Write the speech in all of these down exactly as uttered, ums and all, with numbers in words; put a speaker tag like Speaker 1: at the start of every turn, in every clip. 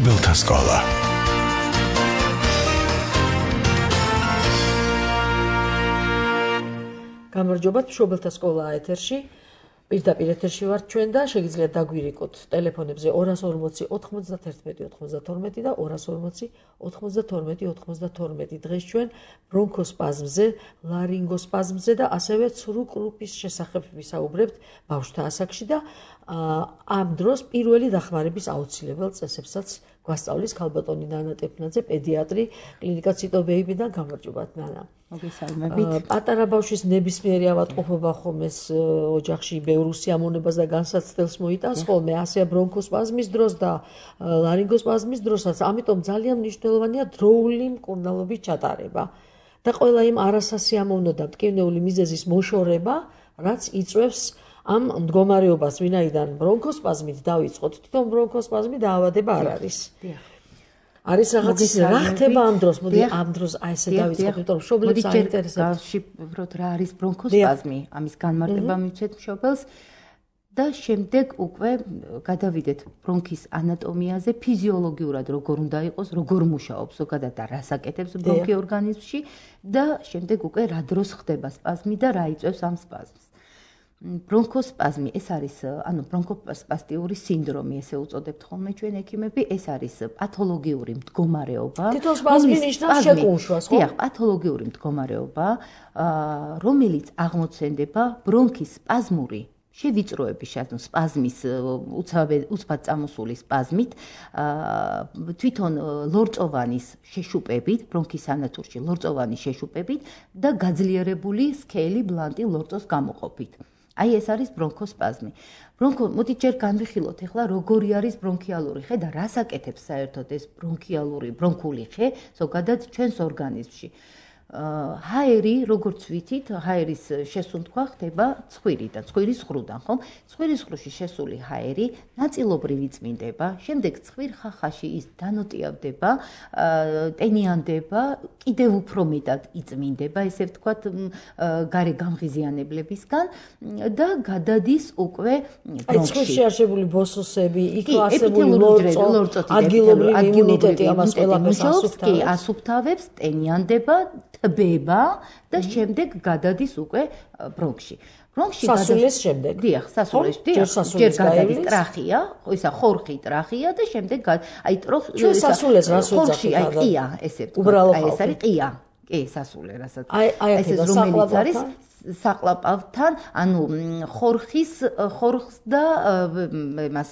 Speaker 1: მშობელთა სკოლა.
Speaker 2: გამარჯობათ, მშობელთა სკოლა ეთერში. პირდაპირ ეთერში ვართ ჩვენ და შეგიძლიათ დაგვირიკოთ ტელეფონებზე ორას ორმოცი ოთხმოცდათერთმეტი ოთხმოცდათორმეტი და ორას ორმოცი ოთხმოცდათორმეტი ოცდათორმეტი. დღეს ჩვენ ბრონქოსპაზმზე, ლარინგოსპაზმზე და ასევე ცრუ კრუპის შესახებ ვისაუბრებთ ბავშვთა ასაკში და ამ დროს პირველი დახმარების აუცილებელ წესებსაც გვასწავლის ქალბატონი ნანა ტეფნაძე, პედიატრი, კლინიკა ციტო ბეიბიდან. გამარჯობათ ნანა.
Speaker 3: მოგესალმებით.
Speaker 2: პატარა ბავშვის ნებისმიერი ავადმყოფობა ხომ ეს ოჯახში ბევრ უსიამოვნებას და განსაცდელს მოიტანს ხოლმე, ასეა ბრონქოსპაზმის დროს და ლარინგოსპაზმის დროსაც. ამიტომ ძალიან მნიშვნელოვანია დროული მკურნალობის ჩატარება და ყველა იმ არასასიამოვნო და მტკივნეული მიზეზის მოშორება, რაც იწვევს ამ მდგომარეობას, ვინაიდან ბრონქოსპაზმით დავიწყოთ, თვითონ ბრონქოსპაზმი დაავადება არ არის. არის რაღაც ის რა ხდება ამ დროს, მოდი ამ დროს აი ესე დავიწყოთ, იმიტომ რომ მშობლებს აინტერესებს.
Speaker 3: გავშიფროთ რა არის ბრონქოსპაზმი, ამის განმარტება მივცეთ მშობელს და შემდეგ უკვე გადავიდეთ ბრონქის ანატომიაზე, ფიზიოლოგიურად როგორ უნდა იყოს, როგორ მუშაობს ზოგადად და რას აკეთებს ბრონქი ორგანიზმში და შემდეგ უკვე რა დროს ხდება სპაზმი და რა იწვევს ამ სპაზმს. ბრონქოსპაზმი ეს არის, ანუ ბრონქოსპასტიური სინდრომი, ესე უწოდებთ ხოლმე ჩვენ ექიმები, ეს არის პათოლოგიური მდგომარეობა.
Speaker 2: თვითონ სპაზმი ნიშნავს შეკუმშვას, ხო?
Speaker 3: დიახ, პათოლოგიური მდგომარეობა, რომელიც აღმოცენდება ბრონქის სპაზმური შევიწროების, ანუ სპაზმის უცბად წამოსული სპაზმით, თვითონ ლორწოვანის შეშუპებით, ბრონქის სანათურში ლორწოვანის შეშუპებით და გაძლიერებული სქელი ბლანტი ლორწოს გამოყოფით. აი ეს არის ბრონქოსპაზმი. ბრონქო, მოდით ჯერ განვიხილოთ ახლა როგორი არის ბრონქიალური ხე და რას აკეთებს საერთოდ ეს ბრონქიალური ბრონქული ხე ზოგადად ჩვენს ორგანიზმში. ჰაერი, როგორც ვიცით, ჰაერის შესუნთქვა ხდება ცხვირიდან, ცხვირის ღრუდან, ხომ? ცხვირის ღრუში შესული ჰაერი ნაწილობრივ იწმინდება, შემდეგ ცხვირ ხახაში ის დანოტიავდება, ტენიანდება, კიდევ უფრო მეტად იწმინდება, ესე ვთქვათ, გარე გამღიზიანებლებისგან და გადადის უკვე
Speaker 2: ბრონქში. აი ცხვირში არსებული ბოსოსები, იქ არსებული ლორწო, ადგილობრივი იმუნიტეტი ამას ყველაფერს ასუფთავებს.
Speaker 3: კი, ასუფთავებს, ტენიანდება, თბება და შემდეგ გადადის უკვე ბრონქში. ბრონქში
Speaker 2: სასულეს შემდეგ.
Speaker 3: დიახ, სასულეს, დიახ. ჯერ გადადის ტრახია, ხო ისა ხორხი ტრახია და შემდეგ აი ტროხი
Speaker 2: ჩვენ სასულეს რას ვეძახით?
Speaker 3: აი ყია, ესე ვთქვათ, აი ეს არის ყია. კი, სასულე, რასაც.
Speaker 2: აი აი ეს
Speaker 3: რომელიც არის საყლაპავთან, ანუ ხორხის ხორხს და მას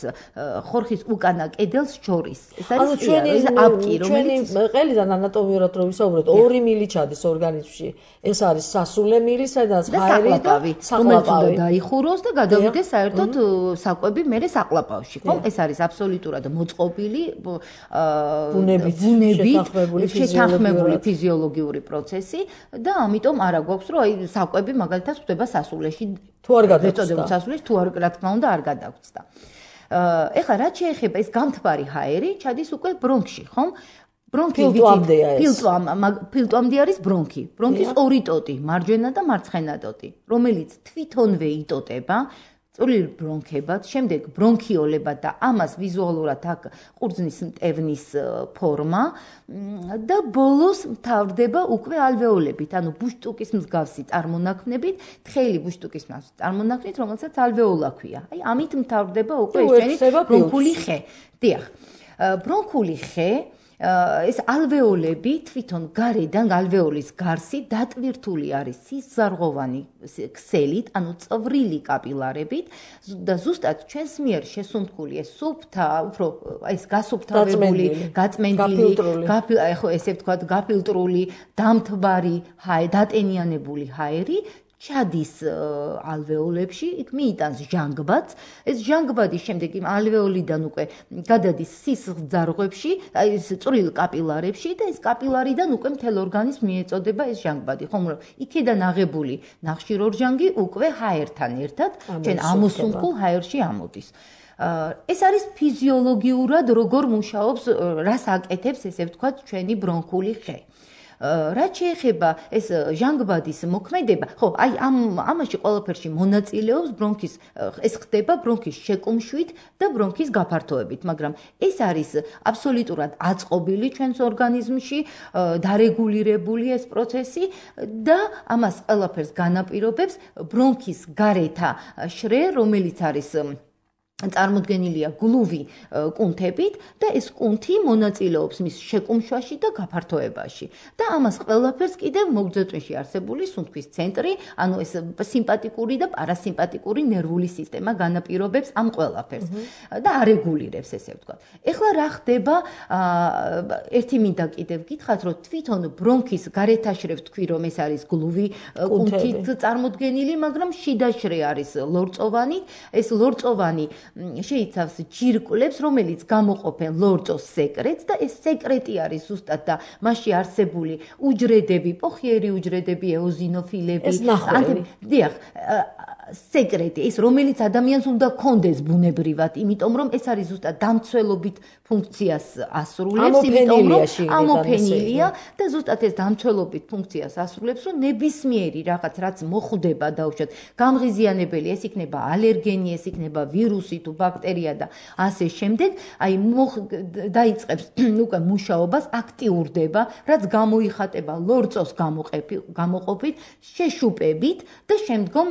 Speaker 3: ხორხის უკანა კედელს შორის. ეს არის
Speaker 2: ჩვენი
Speaker 3: აპკი, რომელიც
Speaker 2: ჩვენი ყელიდან ანატომიურად რო ვისაუბროთ, ორი მილი ჩადის ორგანიზმში. ეს არის სასულე მილი, სადაც ჰაერი და საყლაპავი
Speaker 3: დაიხუროს და გადავიდეს საერთოდ საკვები მერე საყლაპავში, ხო? ეს არის აბსოლუტურად მოწყობილი
Speaker 2: ბუნებით
Speaker 3: შეთანხმებული ფიზიოლოგიური პროცესი და ამიტომ არა გვაქვს რომ აი საკვები მაგალითად ხდება სასულეში
Speaker 2: თუ არ გადაგწდა
Speaker 3: სასულეში თუ არ რა თქმა უნდა არ გადაგწდა. ეხლა რაც შეეხება ეს გამთბარი ჰაერი ჩადის უკვე ბრონქში, ხომ? ბრონქი ფილტვამდე არის ბრონქი. ბრონქის ორი ტოტი, მარჯვენა და მარცხენა ტოტი, რომელიც თვითონვე იტოტება წვრილ ბრონქებად, შემდეგ ბრონქიოლებად და ამას ვიზუალურად აქ ყურძნის მტევნის ფორმა და ბოლოს მთავრდება უკვე ალვეოლებით, ანუ ბუშტუკის მსგავსი წარმონაქმნებით, თხელი ბუშტუკის მსგავსი წარმონაქმნით, რომელსაც ალვეოლა ქვია. აი ამით მთავრდება უკვე ეს ბრონქული ხე. დიახ. ბრონქული ხე ეს ალვეოლები თვითონ გარედან ალვეოლის გარსი დატვირთული არის სისზარღოვანი ქსელით, ანუ წვრილი კაპილარებით და ზუსტად ჩვენს მიერ შესუნთქული ეს სუფთა, უფრო ეს გასუფთავებული, გაწმენდილი, ხო ესე ვთქვათ, გაფილტრული, დამთბარი ჰაერი, დატენიანებული ჰაერი ჩადის ალვეოლებში, იქ მიიტანს ჟანგბადს. ეს ჟანგბადი შემდეგ იმ ალვეოლიდან უკვე გადადის სისხლძარღვებში, აი ეს წვრილ კაპილარებში და ეს კაპილარიდან უკვე მთელ ორგანიზმს მიეწოდება ეს ჟანგბადი. ხომ რომ იქიდან აღებული ნახშირორჟანგი უკვე ჰაერთან ერთად ჩვენ ამოსუნთქულ ჰაერში ამოდის. ეს არის ფიზიოლოგიურად როგორ მუშაობს, რას აკეთებს, ესე ვთქვათ, ჩვენი ბრონქული ხე. რაც შეეხება ეს ჟანგბადის მოქმედება, ხო, აი ამ ამაში ყველაფერში მონაწილეობს ბრონქის ეს ხდება ბრონქის შეკუმშვით და ბრონქის გაფართოებით, მაგრამ ეს არის აბსოლუტურად აწყობილი ჩვენს ორგანიზმში, დარეგულირებული ეს პროცესი და ამას ყველაფერს განაპირობებს ბრონქის გარეთა შრე, რომელიც არის წარმოდგენილია გლუვი კუნთებით და ეს კუნთი მონაწილეობს მის შეკუმშვაში და გაფართოებაში. და ამას ყველაფერს კიდევ მოგრძო-წვენში არსებული სუნთქვის ცენტრი, ანუ ეს სიმპათიკური და პარასიმპათიკური ნერვული სისტემა განაპირობებს ამ ყველაფერს და არეგულირებს, ესე ვთქვათ. ეხლა რა ხდება, ერთი მინდა კიდევ გითხრათ, რომ თვითონ ბრონქის გარეთაშრე ვთქვი, რომ ეს არის გლუვი კუნთით წარმოდგენილი, მაგრამ შიდაშრე არის ლორწოვანი, ეს ლორწოვანი შეიცავს ჯირკვლებს, რომელიც გამოყოფენ ლორწოს სეკრეტს და ეს სეკრეტი არის ზუსტად და მასში არსებული უჯრედები, პოხიერი უჯრედები, ეოზინოფილები, დიახ, სეკრეტი, ეს რომელიც ადამიანს უნდა კონდეს ბუნებრივად, იმიტომ რომ ეს არის ზუსტად დამცველობით ფუნქციას ასრულებს, იმიტომ რომ ამოფენილია და ზუსტად ეს დამცველობით ფუნქციას ასრულებს, რომ ნებისმიერი რაღაც რაც მოხვდება დაუშვათ, გამღიზიანებელი, ეს იქნება ალერგენი, ეს იქნება ვირუსი თუ ბაქტერია და ასე შემდეგ, აი დაიწყებს უკვე მუშაობას, აქტიურდება, რაც გამოიხატება ლორწოს გამოყოფით, შეშუპებით და შემდგომ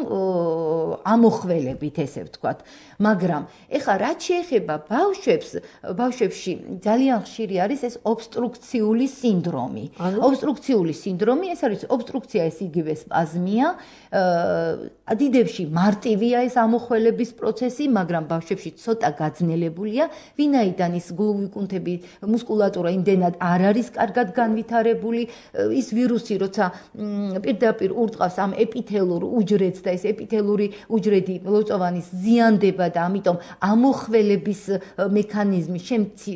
Speaker 3: ამოხველებით, ესე ვთქვათ. მაგრამ ეხლა რაც შეეხება ბავშვებს, ბავშვებში ძალიან ხშირი არის ეს ობსტრუქციული სინდრომი. ობსტრუქციული სინდრომი, ეს არის ობსტრუქცია, ეს იგივე სპაზმია, დიდებში მარტივია ეს ამოხველების პროცესი, მაგრამ ბავშვებში ცოტა გაძნელებულია, ვინაიდან ის გლუვი კუნთები, მუსკულატურა იმდენად არ არის კარგად განვითარებული, ის ვირუსი, როცა პირდაპირ ურტყავს ამ ეპითელურ უჯრედს და ეს ეპითელური უჯრედი ლორწოვანის ზიანდება და ამიტომ ამოხველების მექანიზმი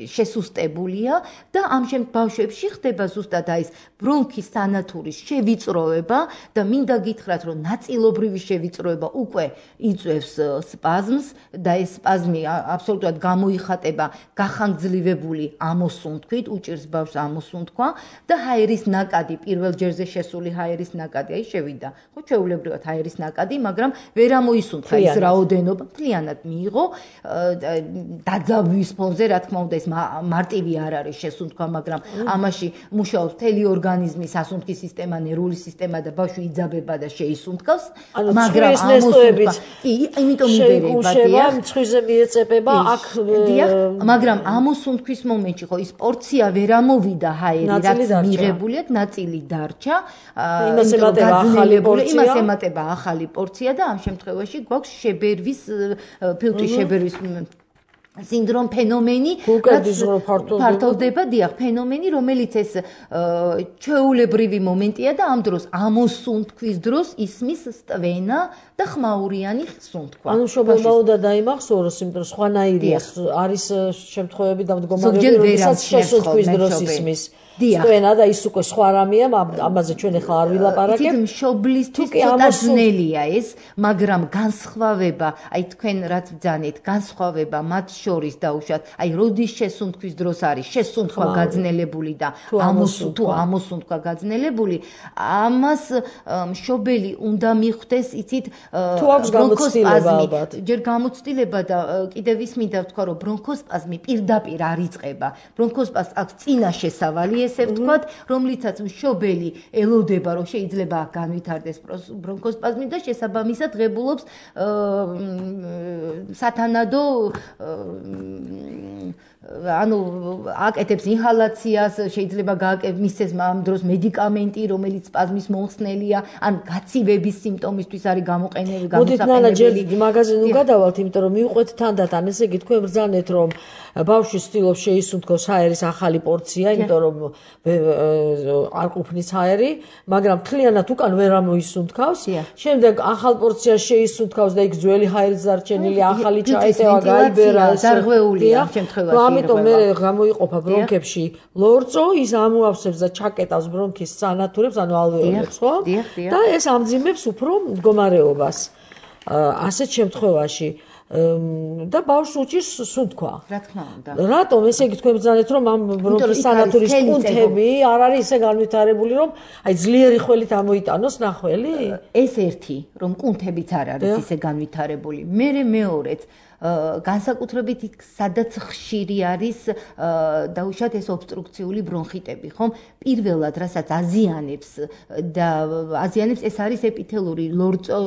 Speaker 3: შესუსტებულია და ამ შემ ბავშვებში ხდება ზუსტად აი ეს ბრონქის სანათურის შევიწროება და მინდა გითხრათ, რომ ნაწილობრივი შევიწროება უკვე იწვევს სპაზმს და ეს სპაზმი აბსოლუტურად გამოიხატება გახანგრძლივებული ამოსუნთქვით, უჭირს ბავშვს ამოსუნთქვა და ჰაერის ნაკადი, პირველ ჯერზე შესული ჰაერის ნაკადი, აი შევიდა, ხო ჩვეულებრივად ჰაერის ნაკადი, მაგრამ ვერ ამოისუნთქა ის რაოდენობა, მთლიანად მიიღო დაძაბვის ფონზე, რა თქმა უნდა, ეს მარტივი არ არის შესუნთქვა, მაგრამ ამაში მუშაობს მთელი ორგანიზმი, სასუნთქის სისტემა, ნერვული სისტემა და ბავშვი იძაბება და შეისუნთქავს, მაგრამ ამოსუნთქვა, კი, იმიტომ იბერება, დიახ,
Speaker 2: მცხვრზე მიეწებება, აქ
Speaker 3: დიახ, მაგრამ ამოსუნთქვის მომენტში ხო ის პორცია ვერ ამოვიდა ჰაერი, რაც მიღებული აქვს, ნაწილი დარჩა,
Speaker 2: იმას ემატება ახალი პორცია,
Speaker 3: იმას ემატება ახალი პორცია და ამ შემთხვევაში გვაქვს შებერვის ფილტვი შებერვის სინდრომ ფენომენი, ფართოვდება, დიახ, ფენომენი, რომელიც ეს ჩვეულებრივი მომენტია და ამ დროს ამოსუნთქვის დროს ისმის სტვენა და ხმაურიანი სუნთქვა.
Speaker 2: ანუ მშობელმა უნდა დაიმახსოვროს, იმიტომ რომ სხვანაირია არის შემთხვევები და მდგომარეობები, როდესაც შესუნთქვის დროს ისმის სტვენა და ის უკვე სხვა რამეა, ამაზე ჩვენ ახლა არ ვილაპარაკებთ.
Speaker 3: იცით, მშობლისთვის ცოტა ძნელია ეს, მაგრამ განსხვავება, აი თქვენ რაც ბძანეთ, განსხვავება მათ შორის დაუშვათ, აი როდის შესუნთქვის დროს არის შესუნთქვა გაძნელებული და ამოსუნთქვა, ამოსუნთქვა გაძნელებული, ამას მშობელი უნდა მიხვდეს, იცით,
Speaker 2: თუ აქვს გამოცდილება ალბათ.
Speaker 3: ჯერ გამოცდილება და კიდევ ის მინდა ვთქვა, რომ ბრონქოსპაზმი პირდაპირ არ იწყება. ბრონქოსპაზმს აქვს წინა შესავალი, ესე ვთქვათ, რომლითაც მშობელი ელოდება, რომ შეიძლება განვითარდეს ბრონქოსპაზმი და შესაბამისად ღებულობს სათანადო ანუ აკეთებს ინჰალაციას, შეიძლება გააკეთებს მისცეს ამ დროს მედიკამენტი, რომელიც სპაზმის მომხსნელია, ან გაცივების სიმპტომისთვის არის გამოყენებული,
Speaker 2: გამოსაყენებელი. მოდით ნანა ჯერ მაგაზე ნუ გადავალთ, იმიტომ რომ მივყვეთ თანდათან, ესე იგი თქვენ ბრძანეთ, რომ ბავშვი ცდილობს შეისუნთქოს ჰაერის ახალი პორცია, იმიტომ რომ არ ყოფნის ჰაერი, მაგრამ მთლიანად უკან ვერ ამოისუნთქავს. შემდეგ ახალ პორციას შეისუნთქავს და იქ ძველი ჰაერიც დარჩენილი, ახალი ჩაეტევა, გაიბერა,
Speaker 3: დარღვეულია ამ შემთხვევაში.
Speaker 2: ამიტომ მე გამოიყოფა ბრონქებში ლორწო, ის ამოავსებს და ჩაკეტავს ბრონქის სანათურებს, ანუ ალვეოლებს, ხო? და ეს ამძიმებს უფრო მდგომარეობას. ასეთ შემთხვევაში და ბავშვს უჭირს სუნთქვა.
Speaker 3: რა თქმა უნდა.
Speaker 2: რატომ ესე იგი თქვენ ბრძანეთ რომ ამ ბრონქის სანათურის კუნთები არ არის ისე განვითარებული რომ აი ძლიერი ხველით ამოიტანოს ნახველი?
Speaker 3: ეს ერთი რომ კუნთებიც არ არის ისე განვითარებული. მერე მეორეც განსაკუთრებით იქ სადაც ხშირი არის დაუშვათ ეს ობსტრუქციული ბრონხიტები, ხომ? პირველად რასაც აზიანებს და აზიანებს ეს არის ეპითელური ლორწო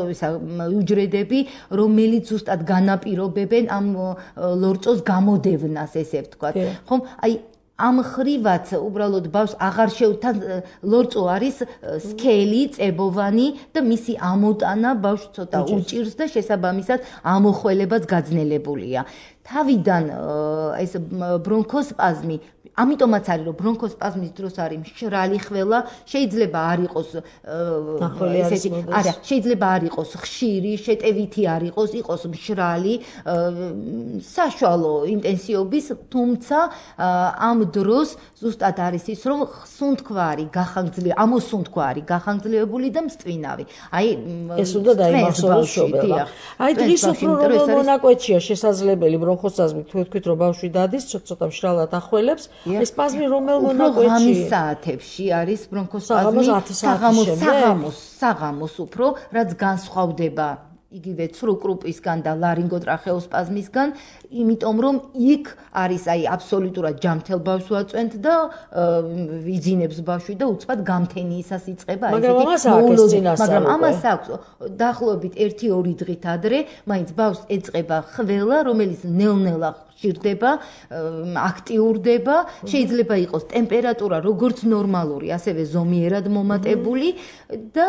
Speaker 3: უჯრედები, რომელიც ზუსტად განაპირობებენ ამ ლორწოს გამოდევნას, ესე ვთქვათ. ხომ? აი ამ ხრივაც უბრალოდ ბავშვს აღარ შევთან ლორწო არის სქელი, წებოვანი და მისი ამოტანა ბავშვს ცოტა უჭირს და შესაბამისად ამოხველებაც გაძნელებულია. თავიდან ეს ბრონქოსპაზმი ამიტომაც არის რომ ბრონქოსპაზმის დროს არის მშრალი ხველა, შეიძლება არ იყოს ესეთი, არა, შეიძლება არ იყოს ხშირი, შეტევითი არ იყოს, იყოს მშრალი, საშუალო ინტენსივობის, თუმცა ამ დროს ზუსტად არის ის რომ სუნთქვა არის გახანგრძლივებული, ამოსუნთქვა არის გახანგრძლივებული და მწვინავი. აი
Speaker 2: ეს უნდა დაიმახსოვროს შობელა. აი დღის უფრო რომ მონაკვეთშია შესაძლებელი ბრონქოსპაზმი, თუ თქვით რომ ბავშვი დადის, ცოტა მშრალად ახველებს, ეს პაზმი რომელ მონაკვეთში?
Speaker 3: ღამის საათებში არის ბრონქოსპაზმი, საღამოს, საღამოს, საღამოს უფრო, რაც განსხვავდება იგივე ცრუ კრუპისგან და ლარინგოტრახეოსპაზმისგან, იმიტომ რომ იქ არის აი აბსოლუტურად ჯამთელ ბავშვს ვაწვენთ და ვიძინებს ბავშვი და უცბად გამთენიისას იწყება
Speaker 2: აი ესეთი
Speaker 3: მაგრამ ამას აქვს დაახლოებით ერთი ორი დღით ადრე, მაინც ბავშვს ეწყება ხველა, რომელიც ნელ-ნელა ჭირდება, აქტიურდება, შეიძლება იყოს ტემპერატურა როგორც ნორმალური, ასევე ზომიერად მომატებული და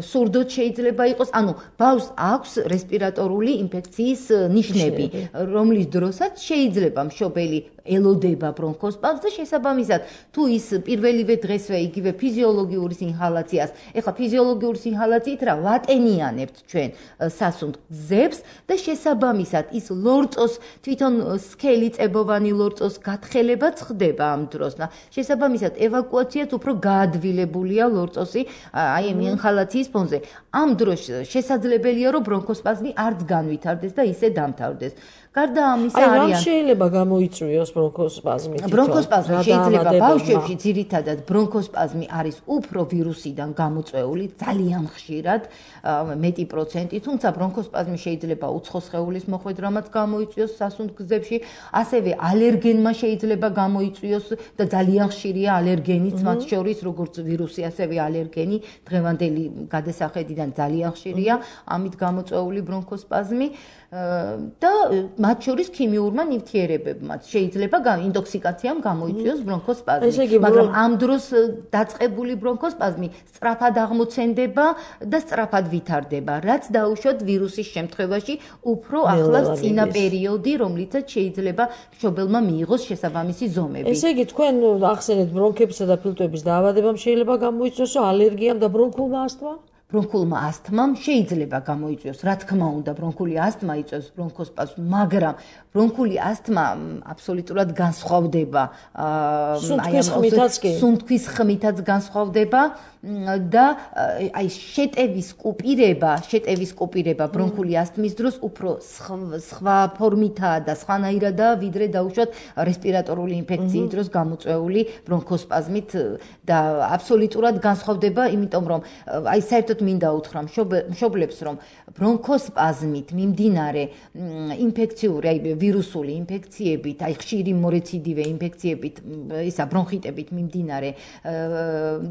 Speaker 3: სურდოთ შეიძლება იყოს, ანუ ბავშვს აქვს რესპირატორული ინფექციის ნიშნები, რომლის დროსაც შეიძლება მშობელი ელოდება ბრონქოსპაზმს და შესაბამისად თუ ის პირველივე დღესვე იგივე ფიზიოლოგიურის ინჰალაციას, ეხლა ფიზიოლოგიურის ინჰალაციით რა ვატენიანებთ ჩვენ სასუნთქ გზებს და შესაბამისად ის ლორწოს თვითონ სქელი წებოვანი ლორწოს გათხელებაც ხდება ამ დროს და შესაბამისად ევაკუაციაც უფრო გაადვილებულია ლორწოსი აი ამ ინჰალაციის ფონზე. ამ დროს შესაძლებელია რომ ბრონქოსპაზმი არც განვითარდეს და ისე დამთავრდეს. გარდა ამისა
Speaker 2: არიან.
Speaker 3: აი
Speaker 2: რა შეიძლება გამოიწვიოს ბრონქოსპაზმი?
Speaker 3: ბრონქოსპაზმი შეიძლება ბავშვებში ძირითადად ბრონქოსპაზმი არის უფრო ვირუსიდან გამოწვეული, ძალიან ხშირად, მეტი პროცენტი, თუმცა ბრონქოსპაზმი შეიძლება უცხო სხეულის მოხვედრამაც გამოიწვიოს სასუნთქ გზებში, ასევე ალერგენმა შეიძლება გამოიწვიოს და ძალიან ხშირია ალერგენიც, მათ შორის როგორც ვირუსი, ასევე ალერგენი დღევანდელი გადასახედიდან ძალიან ხშირია ამით გამოწვეული ბრონქოსპაზმი. და მათ შორის ქიმიურმა ნივთიერებებმაც შეიძლება ინტოქსიკაციამ გამოიწვიოს ბრონქოსპაზმი, მაგრამ ამ დროს დაწყებული ბრონქოსპაზმი სწრაფად აღმოცენდება და სწრაფად ვითარდება, რაც დაუშვათ ვირუსის შემთხვევაში უფრო ახლავს წინა პერიოდი, რომლითაც შეიძლება მშობელმა მიიღოს შესაბამისი ზომები.
Speaker 2: ესე იგი თქვენ ახსენეთ ბრონქებისა და ფილტვების დაავადებამ შეიძლება გამოიწვიოს ალერგიამ და ბრონქულმა ასთმამ?
Speaker 3: ბრონქულმა ასთმამ შეიძლება გამოიწვიოს, რა თქმა უნდა, ბრონქული ასთმა იწვევს ბრონქოსპაზმს, მაგრამ ბრონქული ასთმა აბსოლუტურად განსხვავდება
Speaker 2: სუნთქვის ხმითაც კი.
Speaker 3: სუნთქვის ხმითაც განსხვავდება და აი შეტევის კუპირება, შეტევის კუპირება ბრონქული ასთმის დროს უფრო სხვა ფორმითაა და სხვანაირადაა, ვიდრე დაუშვათ რესპირატორული ინფექციის დროს გამოწვეული ბრონქოსპაზმით და აბსოლუტურად განსხვავდება, იმიტომ რომ აი საერთოდ მინდა უთხრა მშობლებს, რომ ბრონქოსპაზმით მიმდინარე ინფექციური, აი ვირუსული ინფექციებით, აი ხშირი მორეციდივე ინფექციებით, ისა ბრონხიტებით მიმდინარე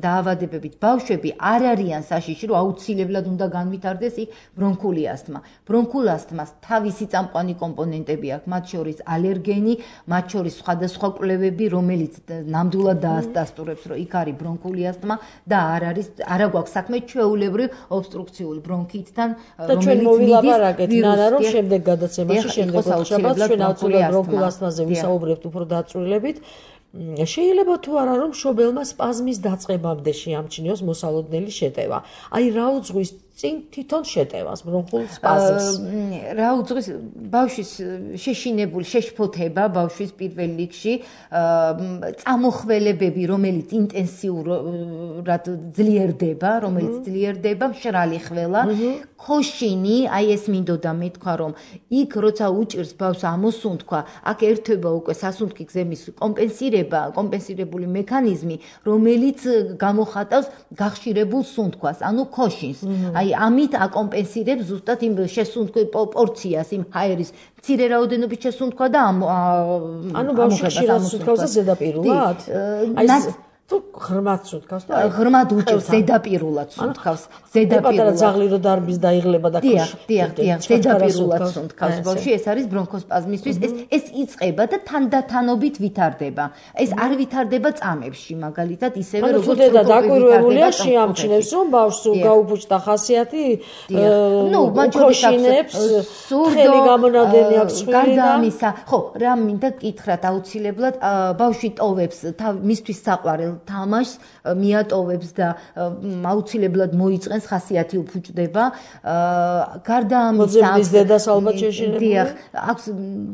Speaker 3: დაავადებებით ბავშვები არ არიან საშიში, რომ აუცილებლად უნდა განვითარდეს იქ ბრონქული ასთმა. ბრონქულ ასთმას თავისი წამყვანი კომპონენტები აქვს, მათ შორის ალერგენი, მათ შორის სხვადასხვა კვლევები, რომელიც ნამდვილად დაასტასტურებს, რომ იქ არის ბრონქული ασθმა და არ არის არა გვაქვს საქმე ჩვეულებრივ ობსტრუქციული ბრონქიტთან,
Speaker 2: რომელიც მიდის ნანა რომ შემდეგ გადაცემაში შემდეგ ოთხშაბათს ჩვენ აუცილებლად ბრონქულ ასთმაზე ვისაუბრებთ უფრო დაწვრილებით. შეიძლება თუ არა რომ მშობელმა სპაზმის დაწყებამდე შეამჩნიოს მოსალოდნელი შეტევა. აი რა უძღვის წინ თვითონ შეტევას ბრონხულ სპაზმს.
Speaker 3: რა უძღვის ბავშვის შეშინებული შეშფოთება ბავშვის პირველ რიგში, წამოხველებები, რომელიც ინტენსიურად ძლიერდება, რომელიც ძლიერდება, მშრალი ხველა, ქოშინი, აი ეს მინდოდა მეთქვა, რომ იქ როცა უჭირს ბავშვს ამოსუნთქვა, აქ ერთვება უკვე სასუნთქი გზების კომპენსირება, კომპენსირებული მექანიზმი, რომელიც გამოხატავს გახშირებულ სუნთქვას, ანუ ქოშინს. აი ამით აკომპენსირებს ზუსტად იმ შესუნთქვის პორციას, იმ ჰაერის მცირე რაოდენობის შესუნთქვა და
Speaker 2: ანუ ბავშვი ხშირად სუნთქავს და ზედაპირულად? აი თუ ღრმად სუნთქავს და
Speaker 3: ღრმად უჭირს ზედაპირულად სუნთქავს, ზედაპირულად.
Speaker 2: პატარა ძაღლი რო დარბის დაიღლება და
Speaker 3: დიახ, დიახ, დიახ, ზედაპირულად სუნთქავს ბავშვი, ეს არის ბრონქოსპაზმისთვის, ეს ეს იწყება და თანდათანობით ვითარდება. ეს არ ვითარდება წამებში, მაგალითად, ისევე როგორც
Speaker 2: დედა დაკვირვებულია შეამჩნევს, რომ ბავშვს გაუფუჭდა ხასიათი,
Speaker 3: ნუ მაჯორიტებს
Speaker 2: ხელი გამონადენი აქვს ხვილი და
Speaker 3: გარდა ამისა, ხო, რა მინდა გითხრათ აუცილებლად, ბავშვი ტოვებს მისთვის საყვარელ თამაშს, მიატოვებს და აუცილებლად მოიწყენს ხასიათი უფუჭდება. გარდა ამისა,
Speaker 2: მოძებნის დედას ალბათ შეშინებული.
Speaker 3: დიახ, აქვს,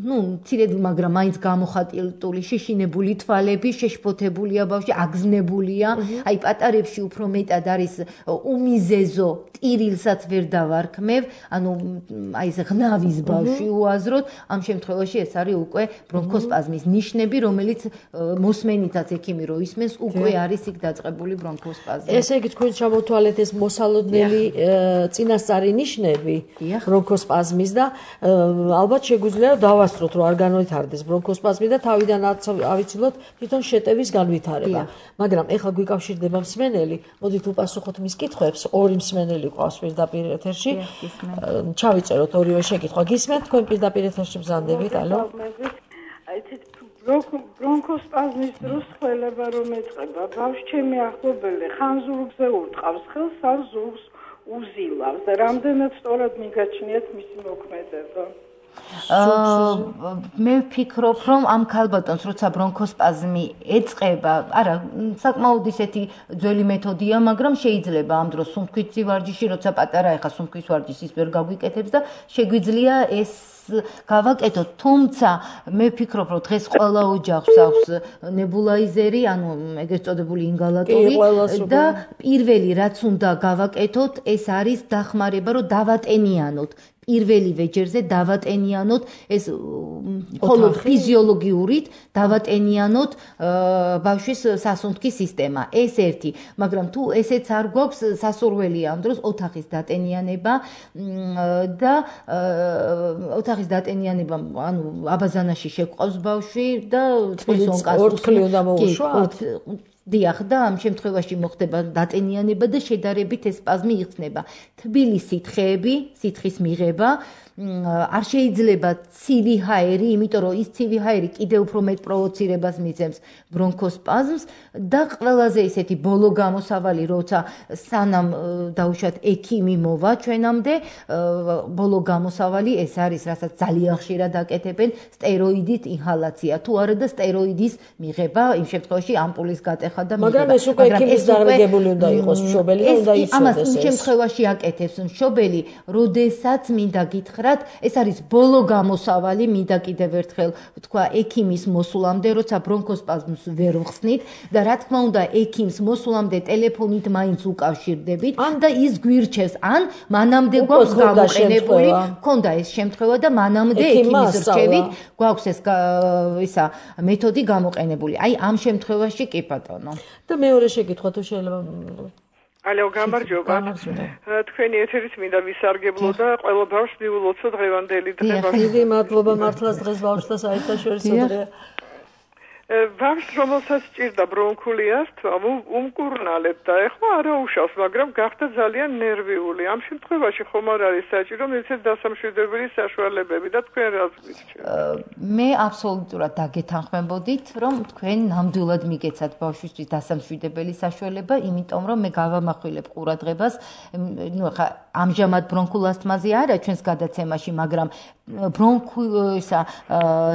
Speaker 3: ნუ, მცირედ, მაგრამ მაინც გამოხატული შეშინებული თვალები, შეშფოთებულია ბავშვი, აგზნებულია. აი პატარებში უფრო მეტად არის უმიზეზო, ტირილსაც ვერ დავარქმევ, ანუ აი ეს ღნავის ბავშვი უაზროდ, ამ შემთხვევაში ეს არის უკვე ბრონქოსპაზმის ნიშნები, რომელიც მოსმენითაც ექიმი რო ისმენს, უკვე არის იქ დაწყებული ბრონქოსპაზმი.
Speaker 2: ესე იგი თქვენ ჩამოთვალეთ ეს მოსალოდნელი წინასწარი ნიშნები ბრონქოსპაზმის და ალბათ შეგვიძლია დავასწროთ, რომ არ განვითარდეს ბრონქოსპაზმი და თავიდან ავიცილოთ თვითონ შეტევის განვითარება. მაგრამ ეხლა გვიკავშირდება მსმენელი, მოდით უპასუხოთ მის კითხვებს, ორი მსმენელი ყავს პირდაპირ ეთერში. ჩავიწეროთ ორივე შეკითხვა. გისმენთ თქვენ პირდაპირ ეთერში მზადდებით, ალო?
Speaker 1: ბრონქოსპაზმის დროს ხველება რომ ეწყება, ბავშვი ჩემი ახლობელი ხან ზურგზე ურტყავს ხელს, ან ზურგს უზილავს და რამდენად სწორად მიგაჩნიათ მისი მოქმედება.
Speaker 3: მე ვფიქრობ, რომ ამ ქალბატონს როცა ბრონქოსპაზმი ეწყება, არა, საკმაოდ ისეთი ძველი მეთოდია, მაგრამ შეიძლება ამ დროს სუნთქვის ვარჯიში, როცა პატარა ეხა სუნთქვის ვარჯიშს ის ვერ გაგვიკეთებს და შეგვიძლია ეს გავაკეთოთ, თუმცა მე ვფიქრობ, რომ დღეს ყველა ოჯახს აქვს ნებულაიზერი, ანუ ეგრეთ წოდებული ინგალატორი და პირველი რაც უნდა გავაკეთოთ, ეს არის დახმარება, რომ დავატენიანოთ პირველი ვეჯერზე დავატენიანოთ ეს მხოლოდ ფიზიოლოგიურით დავატენიანოთ ბავშვის სასუნთქის სისტემა. ეს ერთი, მაგრამ თუ ესეც არ გვაქვს სასურველია ამ დროს ოთახის დატენიანება და ოთახის დატენიანება, ანუ აბაზანაში შეყვავს ბავშვი და
Speaker 2: თბილისს ორთქლი უნდა მოუშვათ.
Speaker 3: დიახ და ამ შემთხვევაში მოხდება დატენიანება და შედარებით ეს სპაზმი იხსნება. თბილი სითხეები, სითხის მიღება, არ შეიძლება ცივი ჰაერი, იმიტომ რომ ის ცივი ჰაერი კიდევ უფრო მეტ პროვოცირებას მისცემს ბრონქოსპაზმს და ყველაზე ისეთი ბოლო გამოსავალი, როცა სანამ დაუშვათ ექიმი მოვა ჩვენამდე, ბოლო გამოსავალი ეს არის, რასაც ძალიან ხშირად აკეთებენ, სტეროიდით ინჰალაცია, თუ არა და სტეროიდის მიღება, იმ შემთხვევაში ამპულის გატეხა და მიღება.
Speaker 2: მაგრამ ეს უკვე ექიმის დარგებული უნდა იყოს, მშობელი და უნდა იცოდეს.
Speaker 3: ამას იმ შემთხვევაში აკეთებს მშობელი, როდესაც მინდა გითხრათ, ეს არის ბოლო გამოსავალი, მინდა კიდევ ერთხელ ვთქვა, ექიმის მოსულამდე, როცა ბრონქოსპაზმს ვერ ვხსნით და რა თქმა უნდა, ექიმს მოსულამდე ტელეფონით მაინც უკავშირდებით და ის გვირჩევს, ან მანამდე გვაქვს გამოყენებული, მქონდა ეს შემთხვევა და მანამდე ექიმის რჩევით გვაქვს ეს ისა მეთოდი გამოყენებული. აი ამ შემთხვევაში კი ბატონო.
Speaker 2: და მეორე შეკითხვა თუ შეიძლება
Speaker 1: ალო, გამარჯობა. თქვენი ეთერით მინდა ვისარგებლო და ყველა ბავშვს მიულოცო დღევანდელი დღე.
Speaker 2: დიდი მადლობა მართლაც დღეს ბავშვთა საერთაშორისო დღეა.
Speaker 1: ბავშვს რომელსაც ჭირდა ბრონქული ასთმა, უმკურნალეთ და ეხლა არა უშავს, მაგრამ გახდა ძალიან ნერვიული. ამ შემთხვევაში ხომ არ არის საჭირო მისცეთ დასამშვიდებელი საშუალებები და თქვენ რას გიჩვენებთ?
Speaker 3: მე აბსოლუტურად დაგეთანხმებოდით, რომ თქვენ ნამდვილად მიგეცათ ბავშვისთვის დასამშვიდებელი საშუალება, იმიტომ რომ მე გავამახვილებ ყურადღებას, ნუ ხა ამჟამად ბრონქულ ასთმაზე არა ჩვენს გადაცემაში, მაგრამ ბრონქულ ისა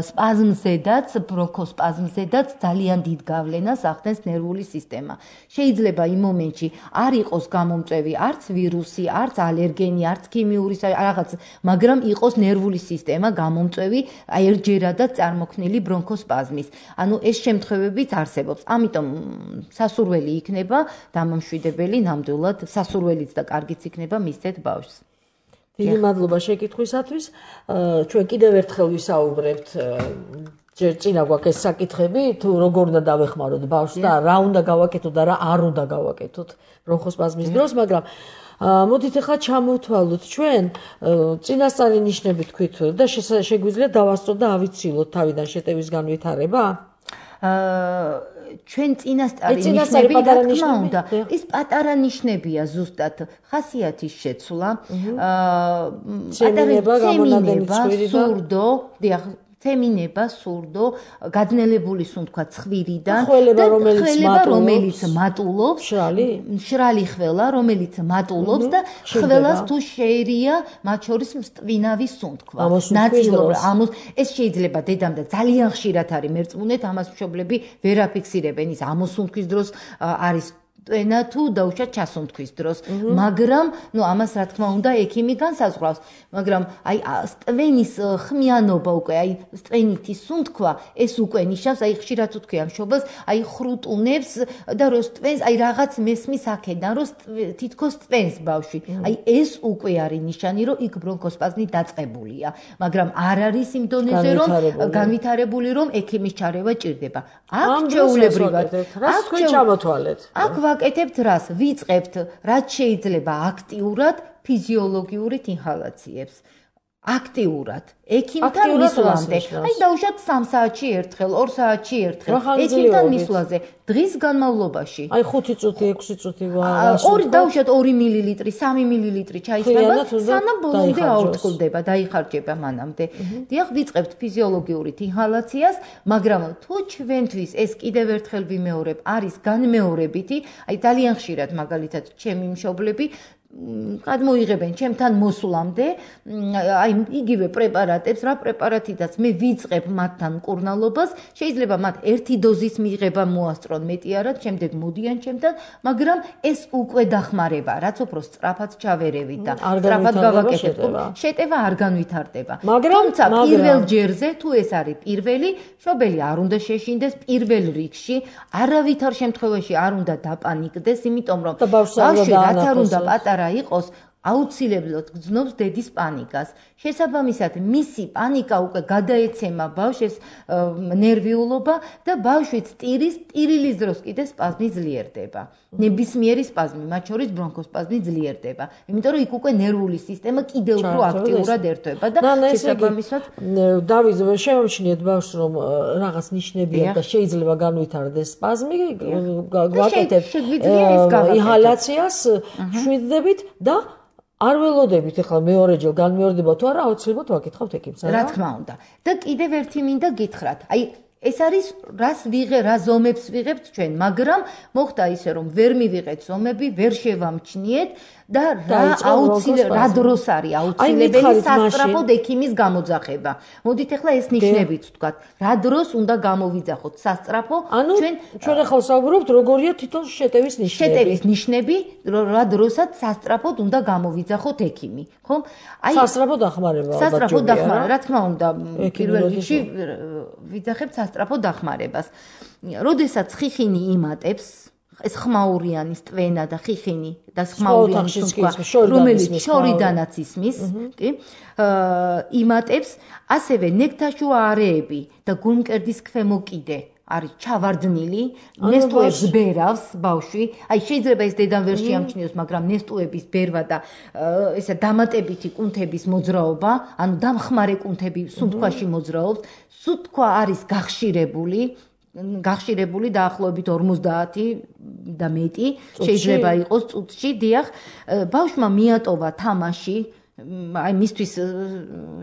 Speaker 3: სპაზმზედაც, ბრონქოსპაზმზე ზედაც ძალიან დიდ გავლენას ახდენს ნერვული სისტემა. შეიძლება იმ მომენტში არ იყოს გამომწვევი არც ვირუსი, არც ალერგენი, არც ქიმიური რაღაც, მაგრამ იყოს ნერვული სისტემა გამომწვევი ერთჯერადად წარმოქმნილი ბრონქოსპაზმის. ანუ ეს შემთხვევებიც არსებობს. ამიტომ სასურველი იქნება დამამშვიდებელი ნამდვილად, სასურველიც და კარგიც იქნება მისცეთ ბავშვს.
Speaker 2: დიდი მადლობა შეკითხვისათვის. ჩვენ კიდევ ერთხელ ვისაუბრებთ ჯერ წინა გვაქვს ეს საკითხები, თუ როგორ უნდა დავეხმაროთ ბავშვს და რა უნდა გავაკეთოთ და რა არ უნდა გავაკეთოთ ბრონქოსპაზმის დროს, მაგრამ მოდით ახლა ჩამოვთვალოთ ჩვენ წინასწარი ნიშნები თქვით და შეგვიძლია დავასწროთ და ავიცილოთ თავიდან შეტევის განვითარება?
Speaker 3: ჩვენ წინასწარი ნიშნები რა თქმა უნდა, ის პატარა ნიშნებია ზუსტად, ხასიათის შეცვლა,
Speaker 2: ცემინება, გამონადენი
Speaker 3: სურდო, დიახ, ცემინება, სურდო, გადნელებული სუნთქვა ცხვირიდან,
Speaker 2: ხველება, რომელიც
Speaker 3: მატულობს,
Speaker 2: შრალი,
Speaker 3: შრალი ხველა, რომელიც მატულობს და ხველას თუ შეერია მათ შორის მწვინავი სუნთქვა. ნაწილობრივ, ეს შეიძლება დედამ და ძალიან ხშირად არის მერწმუნეთ, ამას მშობლები ვერ აფიქსირებენ, ის ამოსუნთქვის დროს არის ტვენა თუ დაუშვათ ჩასუნთქვის დროს, მაგრამ ნუ ამას რა თქმა უნდა ექიმი განსაზღვრავს, მაგრამ აი ტვენის ხმიანობა უკვე, აი ტვენითი სუნთქვა, ეს უკვე ნიშნავს, აი ხშირად ვთქვი ამ მშობელს, აი ხრუტუნებს და როს ტვენს, აი რაღაც მესმის აქედან, როს თითქოს ტვენს ბავშვი. აი ეს უკვე არის ნიშანი, რომ იქ ბრონქოსპაზმი დაწყებულია, მაგრამ არ არის იმ დონეზე, რომ განვითარებული, რომ ექიმის ჩარევა ჭირდება. აქ ჩვეულებრივად,
Speaker 2: აქ თქვენ ჩამოთვალეთ.
Speaker 3: აქ ვაკეთებთ რას? ვიწყებთ, რაც შეიძლება აქტიურად ფიზიოლოგიურით ინჰალაციებს. აქტიურად, ექიმთან მისვლამდე. აი დაუშვათ სამ საათში ერთხელ, ორ საათში ერთხელ, ექიმთან მისვლაზე, დღის განმავლობაში.
Speaker 2: აი ხუთი წუთი, ექვსი წუთი
Speaker 3: ორი დაუშვათ ორი მილილიტრი, სამი მილილიტრი ჩაისხება, სანამ ბოლომდე აუწყლდება, დაიხარჯება მანამდე. დიახ, ვიწყებთ ფიზიოლოგიურით ინჰალაციას, მაგრამ თუ ჩვენთვის ეს კიდევ ერთხელ ვიმეორებ, არის განმეორებითი, აი ძალიან ხშირად მაგალითად ჩემი მშობლები გადმოიღებენ ჩემთან მოსვლამდე, აი იგივე პრეპარატებს, რა პრეპარატიდაც მე ვიწყებ მათთან მკურნალობას, შეიძლება მათ ერთი დოზის მიღება მოასწრონ, მეტი არა, შემდეგ მოდიან ჩემთან, მაგრამ ეს უკვე დახმარება, რაც უფრო სწრაფად ჩავერევით და სწრაფად გავაკეთებთ. შეტევა არ განვითარდება. თუმცა პირველ ჯერზე, თუ ეს არის პირველი, მშობელი არ უნდა შეშინდეს პირველ რიგში, არავითარ შემთხვევაში არ უნდა დაპანიკდეს, იმიტომ რომ ბავშვი რაც არ უნდა პატარა იყოს, აუცილებლად გრძნობს დედის პანიკას. შესაბამისად, მისი პანიკა უკვე გადაეცემა ბავშვს ნერვიულობა და ბავშვი ტირის, ტირილის დროს კიდე სპაზმი ძლიერდება. ნებისმიერი სპაზმი, მათ შორის ბრონქოსპაზმი ძლიერდება. იმიტომ რომ იქ უკვე ნერვული სისტემა კიდევ უფრო აქტიურად ერთვება და შესაბამისად
Speaker 2: დავით, შემომჩნიეთ ბავშვს, რომ რაღაც ნიშნებია და შეიძლება განვითარდეს სპაზმი, გვაკეთებთ ინჰალაციას, შვიდდებით და არ ველოდებით ახლა მეორეჯერ განმეორდება თუ არა, აუცილებლად ვაკითხავთ ექიმს,
Speaker 3: რა თქმა უნდა. და კიდევ ერთი მინდა გითხრათ. აი ეს არის რას ვიღე, რა ზომებს ვიღებთ ჩვენ, მაგრამ მოხდა ისე რომ ვერ მივიღეთ ზომები, ვერ შევამჩნიეთ და რა აუცილებლად რა დროს არის აუცილებელი სასწრაფოდ ექიმის გამოძახება. მოდით ახლა ეს ნიშნებით ვთქვათ, რა დროს უნდა გამოვიძახოთ სასწრაფო,
Speaker 2: ჩვენ ჩვენ ახლა ვსაუბრობთ როგორია თვითონ შეტევის ნიშნები.
Speaker 3: შეტევის ნიშნები, რა დროსაც სასწრაფოდ უნდა გამოვიძახოთ ექიმი, ხო?
Speaker 2: აი სასწრაფო დახმარება ალბათ.
Speaker 3: სასწრაფო დახმარება, რა თქმა უნდა, პირველ რიგში ვიძახებთ სასწრაფო დახმარებას. როდესაც ხიხინი იმატებს, ეს ხმაურიანის ტვენა და ხიხინი და ხმაურიანი სუნთქვა, რომელიც შორიდანაც ისმის, კი? იმატებს, ასევე ნექტაშუა არეები და გულმკერდის ქვემო კიდე არის ჩავარდნილი, ნესტუებს ბერავს ბავშვი. აი შეიძლება ეს დედამ ვერ შეამჩნიოს, მაგრამ ნესტუების ბერვა და ესა დამატებითი კუნთების მოძრაობა, ანუ დამხმარე კუნთები სუნთქვაში მოძრაობს, სუნთქვა არის გახშირებული, გახშირებული დაახლოებით ორმოცდაათი და მეტი შეიძლება იყოს წუთში, დიახ, ბავშვმა მიატოვა თამაში, აი მისთვის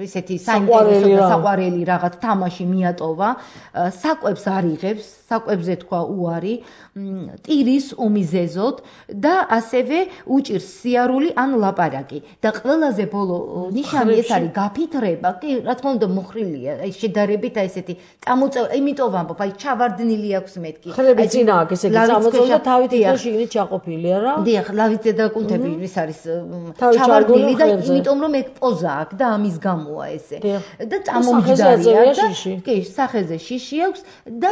Speaker 3: ესეთი საინტერესო და საყვარელი რაღაც თამაში მიატოვა, საკვებს არ იღებს, საკვებზე თქვა უარი, ტირის უმიზეზოდ და ასევე უჭირს სიარული ან ლაპარაკი. და ყველაზე ბოლო ნიშანი ეს არის გაფითრება, კი, რა თქმა უნდა მოხრილია, აი შედარებით აი ესეთი წამოწევა, იმიტომ ვამბობ, აი ჩავარდნილი აქვს მეთქი.
Speaker 2: ხრები წინა აქვს, ესე იგი წამოწევა და თავით ისე შიგნით ჩაყოფილია რა.
Speaker 3: დიახ, ლავიძე და კუნთები ის არის ჩავარდნილი და იმიტომ რომ ეგ პოზა აქვს და ამის გამოა ესე. და წამომჯდარია და კი, სახეზე შიში აქვს და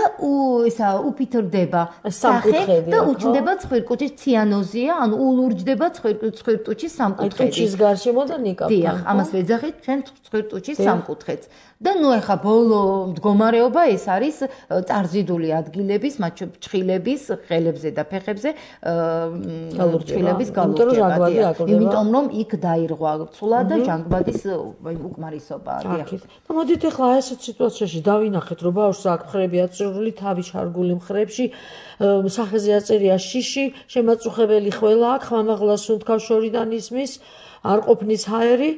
Speaker 3: ისა უფითრდება სახე და უჩნდება ცხვირკუჭის ციანოზია, ანუ ულურჯდება ცხვირკუჭის სამკუთხედი.
Speaker 2: ტუჩის გარშემო და ნიკაპთან.
Speaker 3: დიახ, ამას ვეძახით ჩვენ ცხვირკუჭის სამკუთხედს. და ნუ ეხა ბოლო მდგომარეობა ეს არის წარზიდული ადგილების, მათ შორის ჩხილების, ხელებზე და ფეხებზე ჩხილების გალურჯება. იმიტომ რომ იქ დაირღვა ცვლა და ჟანგბადის უკმარისობა.
Speaker 2: და მოდით ეხლა ესეთ სიტუაციაში დავინახეთ, რომ ბავშვს აქვს მხრები აწვრილი, თავი ჩარგული მხრებში, სახეზე აწერია შიში, შემაწუხებელი ხველა აქვს, ხმამაღლა სუნთქავს შორიდან ისმის, არ ყოფნის ჰაერი,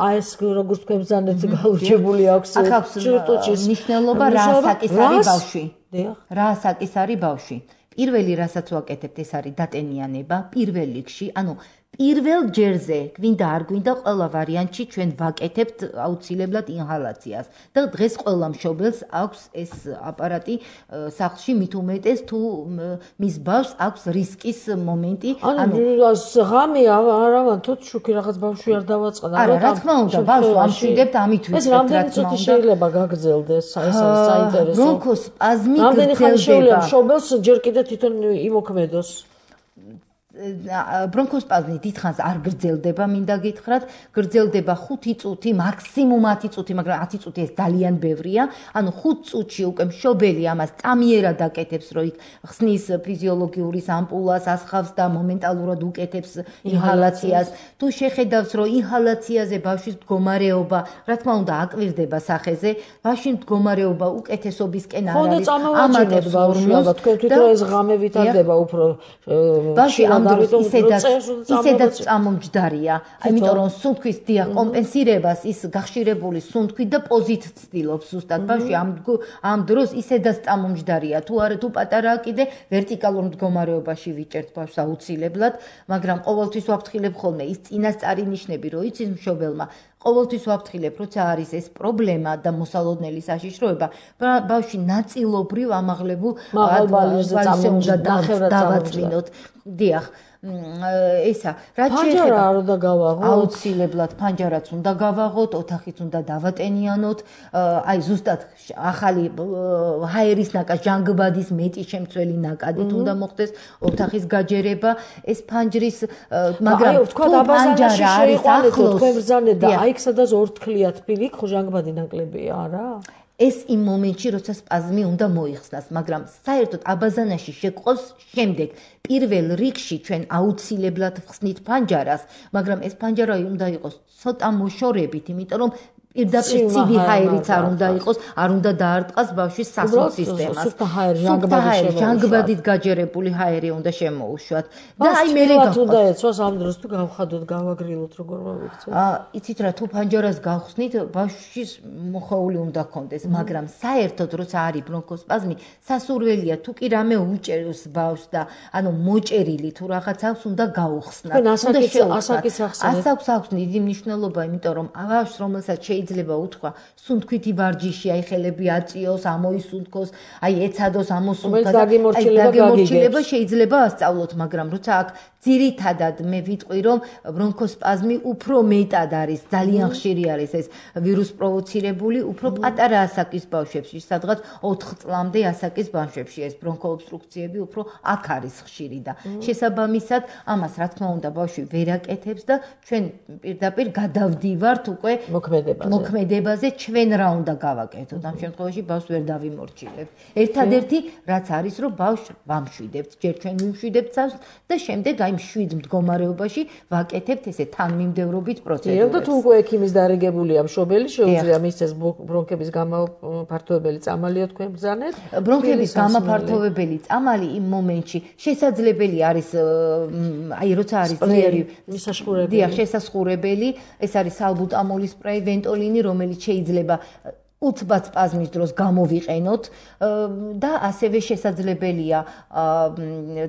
Speaker 2: აი ეს როგორც თქვენ ბრძანეთ გალურჯებული აქვს ჭირტუჭის
Speaker 3: ნიშნულობა რა საკის არის ბავშვი. რა საკის არის ბავშვი. პირველი რასაც ვაკეთებთ ეს არის დატენიანება პირველ რიგში, ანუ პირველ ჯერზე გვინდა არ გვინდა ყველა ვარიანტში ჩვენ ვაკეთებთ აუცილებლად ინჰალაციას და დღეს ყველა მშობელს აქვს ეს აპარატი სახლში მით უმეტეს თუ მის ბავშვს აქვს რისკის მომენტი
Speaker 2: ანუ ღამე არავან თუ შუქი რაღაც ბავშვი არ დავაწყდა
Speaker 3: არა რა თქმა უნდა ბავშვს ამშვიდებთ ამით ვიცით
Speaker 2: ეს რამდენი წუთი შეიძლება გაგრძელდეს ეს არის საინტერესო
Speaker 3: ბრონქოსპაზმი
Speaker 2: რამდენი ხანი შეიძლება მშობელს ჯერ კიდე თვითონ იმოქმედოს
Speaker 3: ბრონქოსპაზმი დიდხანს არ გრძელდება, მინდა გითხრათ, გრძელდება ხუთი წუთი, მაქსიმუმ ათი წუთი, მაგრამ ათი წუთი ეს ძალიან ბევრია. ანუ ხუთ წუთში უკვე მშობელი ამას წამიერად აკეთებს, რომ იქ ხსნის ფიზიოლოგიურის ამპულას, ასხავს და მომენტალურად უკეთებს ინჰალაციას. თუ შეხედავს, რომ ინჰალაციაზე ბავშვის მდგომარეობა, რა თქმა უნდა, აკვირდება სახეზე, ბავშვის მდგომარეობა უკეთესობისკენ არ არის.
Speaker 2: ამატებს ბავშვს, თქვენ თვითონ ეს ღამე ვითარდება უფრო
Speaker 3: ბავშვი ისედაც ისედაც წამომჯდარია, იმიტომ რომ სუნთქვის დიახ კომპენსირებას ის გახშირებული სუნთქვით და პოზით ცდილობს ზუსტად ბავშვი ამ ამ დროს ისედაც წამომჯდარია, თუ არა თუ პატარაა კიდე ვერტიკალურ მდგომარეობაში ვიჭერთ ბავშვს აუცილებლად, მაგრამ ყოველთვის ვაფრთხილებ ხოლმე ის წინასწარი ნიშნები, რომ იცის მშობელმა ყოველთვის ვაფრთხილებ, როცა არის ეს პრობლემა და მოსალოდნელი საშიშროება, ბავშვი ნაწილობრივ ამაღლებულ
Speaker 2: მაღალბალირზე
Speaker 3: უნდა დავაწვინოთ. დიახ, ესა, რაც
Speaker 2: შეეხება არ უნდა გავაღოთ,
Speaker 3: აუცილებლად ფანჯარაც უნდა გავაღოთ, ოთახიც უნდა დავატენიანოთ, აი ზუსტად ახალი ჰაერის ნაკადი, ჟანგბადის მეტი შემცველი ნაკადით უნდა მოხდეს ოთახის გაჯერება, ეს ფანჯრის, მაგრამ
Speaker 2: თქვა დაბაზანაში შეიყვანეთ, თქვენ ბრძანეთ და აი იქ სადაც ორთქლია თბილი, ხო ჟანგბადი ნაკლებია, არა?
Speaker 3: ეს იმ მომენტში, როცა სპაზმი უნდა მოიხსნას, მაგრამ საერთოდ აბაზანაში შეყოს შემდეგ პირველ რიგში ჩვენ აუცილებლად ვხსნით ფანჯარას, მაგრამ ეს ფანჯარა უნდა იყოს ცოტა მოშორებით, იმიტომ რომ პირდაპირ ცივი ჰაერიც არ უნდა იყოს, არ უნდა დაარტყას ბავშვის სასუნთქ სისტემას.
Speaker 2: სუფთა ჰაერი, ჟანგბადი,
Speaker 3: ჟანგბადით გაჯერებული ჰაერი უნდა შემოუშვათ. და აი მე
Speaker 2: უნდა ეცვას ამ დროს თუ გავხადოთ, გავაგრილოთ, როგორ მოვიქცეთ.
Speaker 3: აა, იცით რა, თუ ფანჯარას გავხსნით, ბავშვის მოხეული უნდა ქონდეს, მაგრამ საერთოდ როცა არის ბრონქოსპაზმი, სასურველია თუ კი რამე უჭერს ბავშვს და ანუ მოჭერილი თუ რაღაც აქვს, უნდა გაუხსნათ.
Speaker 2: უნდა ასაკის ახსნათ.
Speaker 3: ასაკს აქვს დიდი მნიშვნელობა, იმიტომ რომ ბავშვს რომელსაც შეიძლება უთქვა სუნთქვითი ვარჯიში, აი ხელები აწიოს, ამოისუნთქოს, აი ეცადოს, ამოსუნთქოს,
Speaker 2: დაგემორჩილება
Speaker 3: შეიძლება ასწავლოთ, მაგრამ როცა აქ ძირითადად მე ვიტყვი, რომ ბრონქოსპაზმი უფრო მეტად არის, ძალიან ხშირი არის ეს ვირუს პროვოცირებული, უფრო პატარა ასაკის ბავშვებში, სადღაც ოთხ წლამდე ასაკის ბავშვებში ეს ბრონქოობსტრუქციები უფრო აქ არის ხშირი და შესაბამისად ამას რა თქმა უნდა ბავშვი ვერ აკეთებს და ჩვენ პირდაპირ გადავდივართ უკვე
Speaker 2: მოქმედებაზე.
Speaker 3: მოქმედებაზე ჩვენ რა უნდა გავაკეთოთ ამ შემთხვევაში ბავშვს ვერ დავიმორჩილებთ. ერთადერთი რაც არის რომ ბავშვს ვამშვიდებთ, ჯერ ჩვენ ვიმშვიდებთ სახლს და შემდეგ აი მშვიდ მდგომარეობაში ვაკეთებთ ესე თანმიმდევრობით პროცედურებს.
Speaker 2: და თუ უკვე ექიმის დარიგებულია მშობელი, შეუძლია მისცეს ბრონქების გამაფართოვებელი წამალია თქვენ ბრძანეთ?
Speaker 3: ბრონქების გამაფართოვებელი წამალი იმ მომენტში შესაძლებელი არის აი როცა არის ძლიერი
Speaker 2: მისაშხურებელი.
Speaker 3: დიახ, შესაძლებელი, ეს არის სალბუტამოლის სპრეი, ვენტოლინი, რომელიც შეიძლება უცბად სპაზმის დროს გამოვიყენოთ და ასევე შესაძლებელია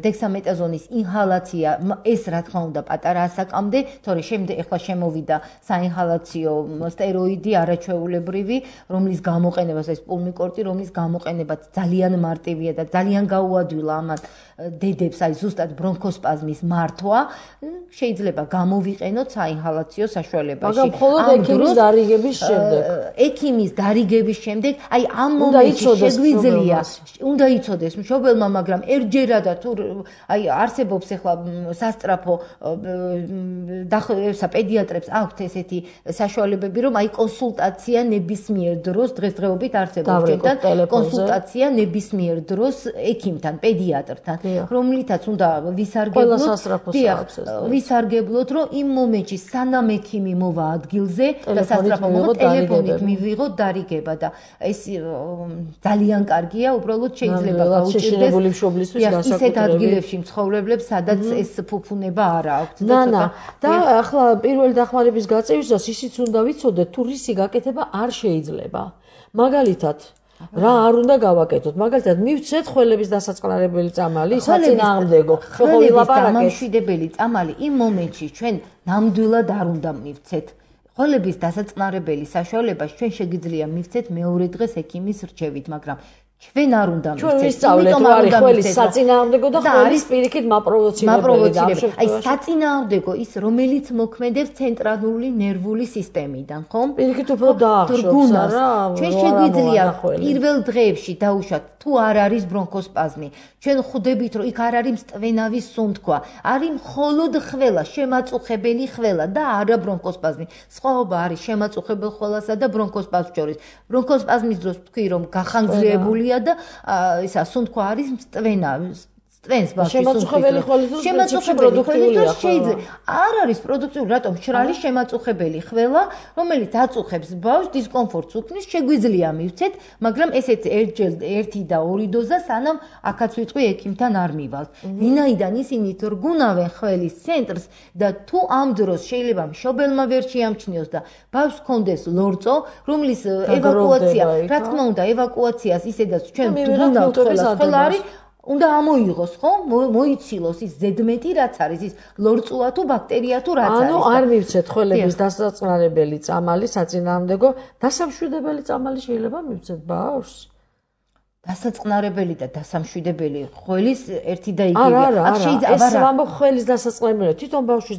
Speaker 3: დექსამეტაზონის ინჰალაცია, ეს რა თქმა უნდა პატარა ასაკამდე, თორე შემდეგ ახლა შემოვიდა საინჰალაციო სტეროიდი არაჩვეულებრივი, რომლის გამოყენებას ეს პულმიკორტი, რომლის გამოყენებაც ძალიან მარტივია და ძალიან გაუადვილა ამან დედებს, აი ზუსტად ბრონქოსპაზმის მართვა, შეიძლება გამოვიყენოთ საინჰალაციო საშუალებაში.
Speaker 2: მაგრამ მხოლოდ ექიმის დარიგების შემდეგ.
Speaker 3: ექიმის დარიგების შემდეგ, აი ამ მომენტში შეგვიძლია, უნდა იცოდეს მშობელმა, მაგრამ ერთჯერადა თუ აი არსებობს ახლა სასწრაფო და პედიატრებს აქვთ ესეთი საშუალებები, რომ აი კონსულტაცია ნებისმიერ დროს დღესდღეობით არსებობს ჩვენთან კონსულტაცია ნებისმიერ დროს ექიმთან, პედიატრთან, რომლითაც უნდა ვისარგებლოთ, ვისარგებლოთ, რომ იმ მომენტში სანამ ექიმი მოვა ადგილზე და სასწრაფო მოვა ტელეფონით მივიღოთ დარიგება და ეს ძალიან კარგია, უბრალოდ შეიძლება გაუჭირდეს ისეთ ადგილებში მცხოვრებლებს, სადაც ეს ფუფუნება არ აქვს.
Speaker 2: ნანა, და ახლა პირველი დახმარების გაწევისას ისიც უნდა ვიცოდეთ, თუ რისი გაკეთება არ შეიძლება. მაგალითად, რა არ უნდა გავაკეთოთ? მაგალითად, მივცეთ ხველების დასაწყნარებელი წამალი, საწინააღმდეგო.
Speaker 3: ხველების დამამშვიდებელი წამალი იმ მომენტში ჩვენ ნამდვილად არ უნდა მივცეთ. ხველების დასაწყნარებელი საშუალებას ჩვენ შეგიძლია მივცეთ მეორე დღეს ექიმის რჩევით, მაგრამ ჩვენ არ უნდა მივცეთ.
Speaker 2: ჩვენ ვისწავლეთ, რომ არის ხველის საწინააღმდეგო და ხველის პირიქით მაპროვოცირებელი.
Speaker 3: აი საწინააღმდეგო ის, რომელიც მოქმედებს ცენტრალური ნერვული სისტემიდან, ხომ?
Speaker 2: პირიქით უფრო დაახშობს, არა?
Speaker 3: ჩვენ შეგვიძლია პირველ დღეებში დაუშვათ, თუ არ არის ბრონქოსპაზმი. ჩვენ ხვდებით, რომ იქ არ არის მწვენავის სუნთქვა, არის მხოლოდ ხველა, შემაწუხებელი ხველა და არა ბრონქოსპაზმი. სხვაობა არის შემაწუხებელ ხველასა და ბრონქოსპაზმს შორის. ბრონქოსპაზმის დროს თქვი, რომ გახანგრძლივებული და ისა სუნთქვა არის მწვენა წვენს ბავშვი
Speaker 2: შემაწუხებელი ხველის დროს
Speaker 3: შემაწუხებელი ხველის შეიძლება არ არის პროდუქტიული, რატომ მშრალი შემაწუხებელი ხველა, რომელიც აწუხებს ბავშვს, დისკომფორტს უქმნის, შეგვიძლია მივცეთ, მაგრამ ესეც ერთჯერ ერთი და ორი დოზა სანამ აქაც ვიტყვი ექიმთან არ მივალთ. ვინაიდან ისინი თრგუნავენ ხველის ცენტრს და თუ ამ დროს შეიძლება მშობელმა ვერ შეამჩნიოს და ბავშვს ჰქონდეს ლორწო, რომლის ევაკუაცია, რა თქმა უნდა, ევაკუაციას ისედაც ჩვენ ვგუნავთ ხელას, ხელა არის უნდა ამოიღოს, ხო? მოიცილოს ის ზედმეტი რაც არის, ის ლორწოა თუ ბაქტერია თუ რაც არის.
Speaker 2: ანუ არ მივცეთ ხველების დასაწყნარებელი წამალი, საწინააღმდეგო, დასამშვიდებელი წამალი შეიძლება მივცეთ ბავშვს?
Speaker 3: დასაწყნარებელი და დასამშვიდებელი ხველის ერთი და იგივეა.
Speaker 2: არა, არა, არა. ეს რამო ხველის დასაწყნარებელი, თვითონ ბავშვის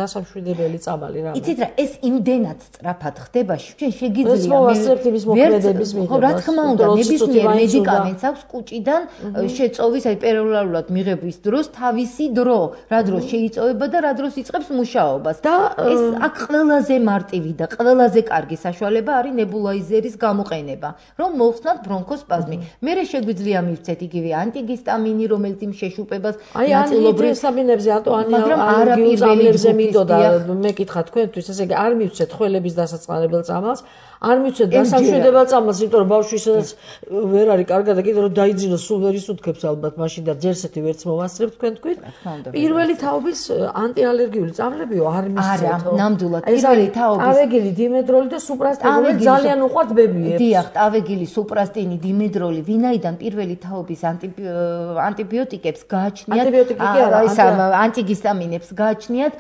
Speaker 2: დასამშვიდებელი წამალი რა.
Speaker 3: იცით რა, ეს იმდენად სწრაფად ხდება, ჩვენ შეგიძლია
Speaker 2: ეს მოვასწრებთ იმის მოქმედების მიღებას.
Speaker 3: რა თქმა უნდა, ნებისმიერ მედიკამენტს აქვს კუჭიდან შეწოვის, აი პეროლარულად მიღების დროს თავისი დრო, რა დროს შეიწოვება და რა დროს იწყებს მუშაობას. და ეს აქ ყველაზე მარტივი და ყველაზე კარგი საშუალება არის ნებულაიზერის გამოყენება, რომ მოხსნათ ბრონქოსპაზმი. მერე შეგვიძლია მივცეთ იგივე ანტიგისტამინი, რომელიც იმ შეშუპებას
Speaker 2: ნაწილობრივ სტაბინებზე ანტოანიალგიულზე მინდოდა მეკითხა თქვენთვის, ესე იგი არ მივცეთ ხველების დასაწყნარებელ წამალს, არ მივცეთ დასამშვიდებელ წამალს, იმიტომ რომ ბავშვი ისედაც ვერ არის კარგად და კიდევ რომ დაიძინოს, სულ ვერ ისუნთქებს ალბათ მაშინ და ჯერსეთი ვერც მოვასწრებთ თქვენ თქვით. პირველი თაობის ანტიალერგიული წამლებიო არ მისცეთო.
Speaker 3: არა, ნამდვილად. პირველი თაობის
Speaker 2: ტავეგილი, დიმედროლი და სუპრასტინი ძალიან უყვართ ბებიებს.
Speaker 3: დიახ, ტავეგილი, სუპრასტინი, დიმედროლი, ვინაიდან პირველი თაობის ანტიბიოტიკებს გააჩნიათ, ეს ანტიგისტამინებს გააჩნიათ,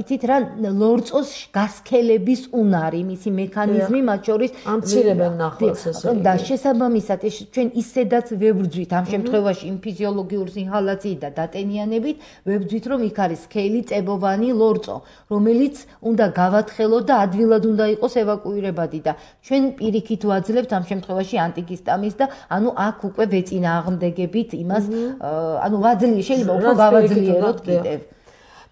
Speaker 3: იცით რა, ლორწოს გასქელების უნარი, მისი მექანიზმი მათ შორის
Speaker 2: ამცირებენ ნახვალს ესე.
Speaker 3: და შესაბამისად ჩვენ ისედაც ვებრძვით ამ შემთხვევაში იმ ფიზიოლოგიური ინჰალაციით და დატენიანებით, ვებრძვით რომ იქ არის სქელი წებოვანი ლორწო, რომელიც უნდა გავათხელოთ და ადვილად უნდა იყოს ევაკუირებადი და ჩვენ პირიქით ვაძლევთ ამ შემთხვევაში ანტიგისტამინს და ანუ აქ უკვე ვეწინააღმდეგებით იმას, ანუ ვაძლიერთ, შეიძლება უფრო გავაძლიეროთ კიდევ.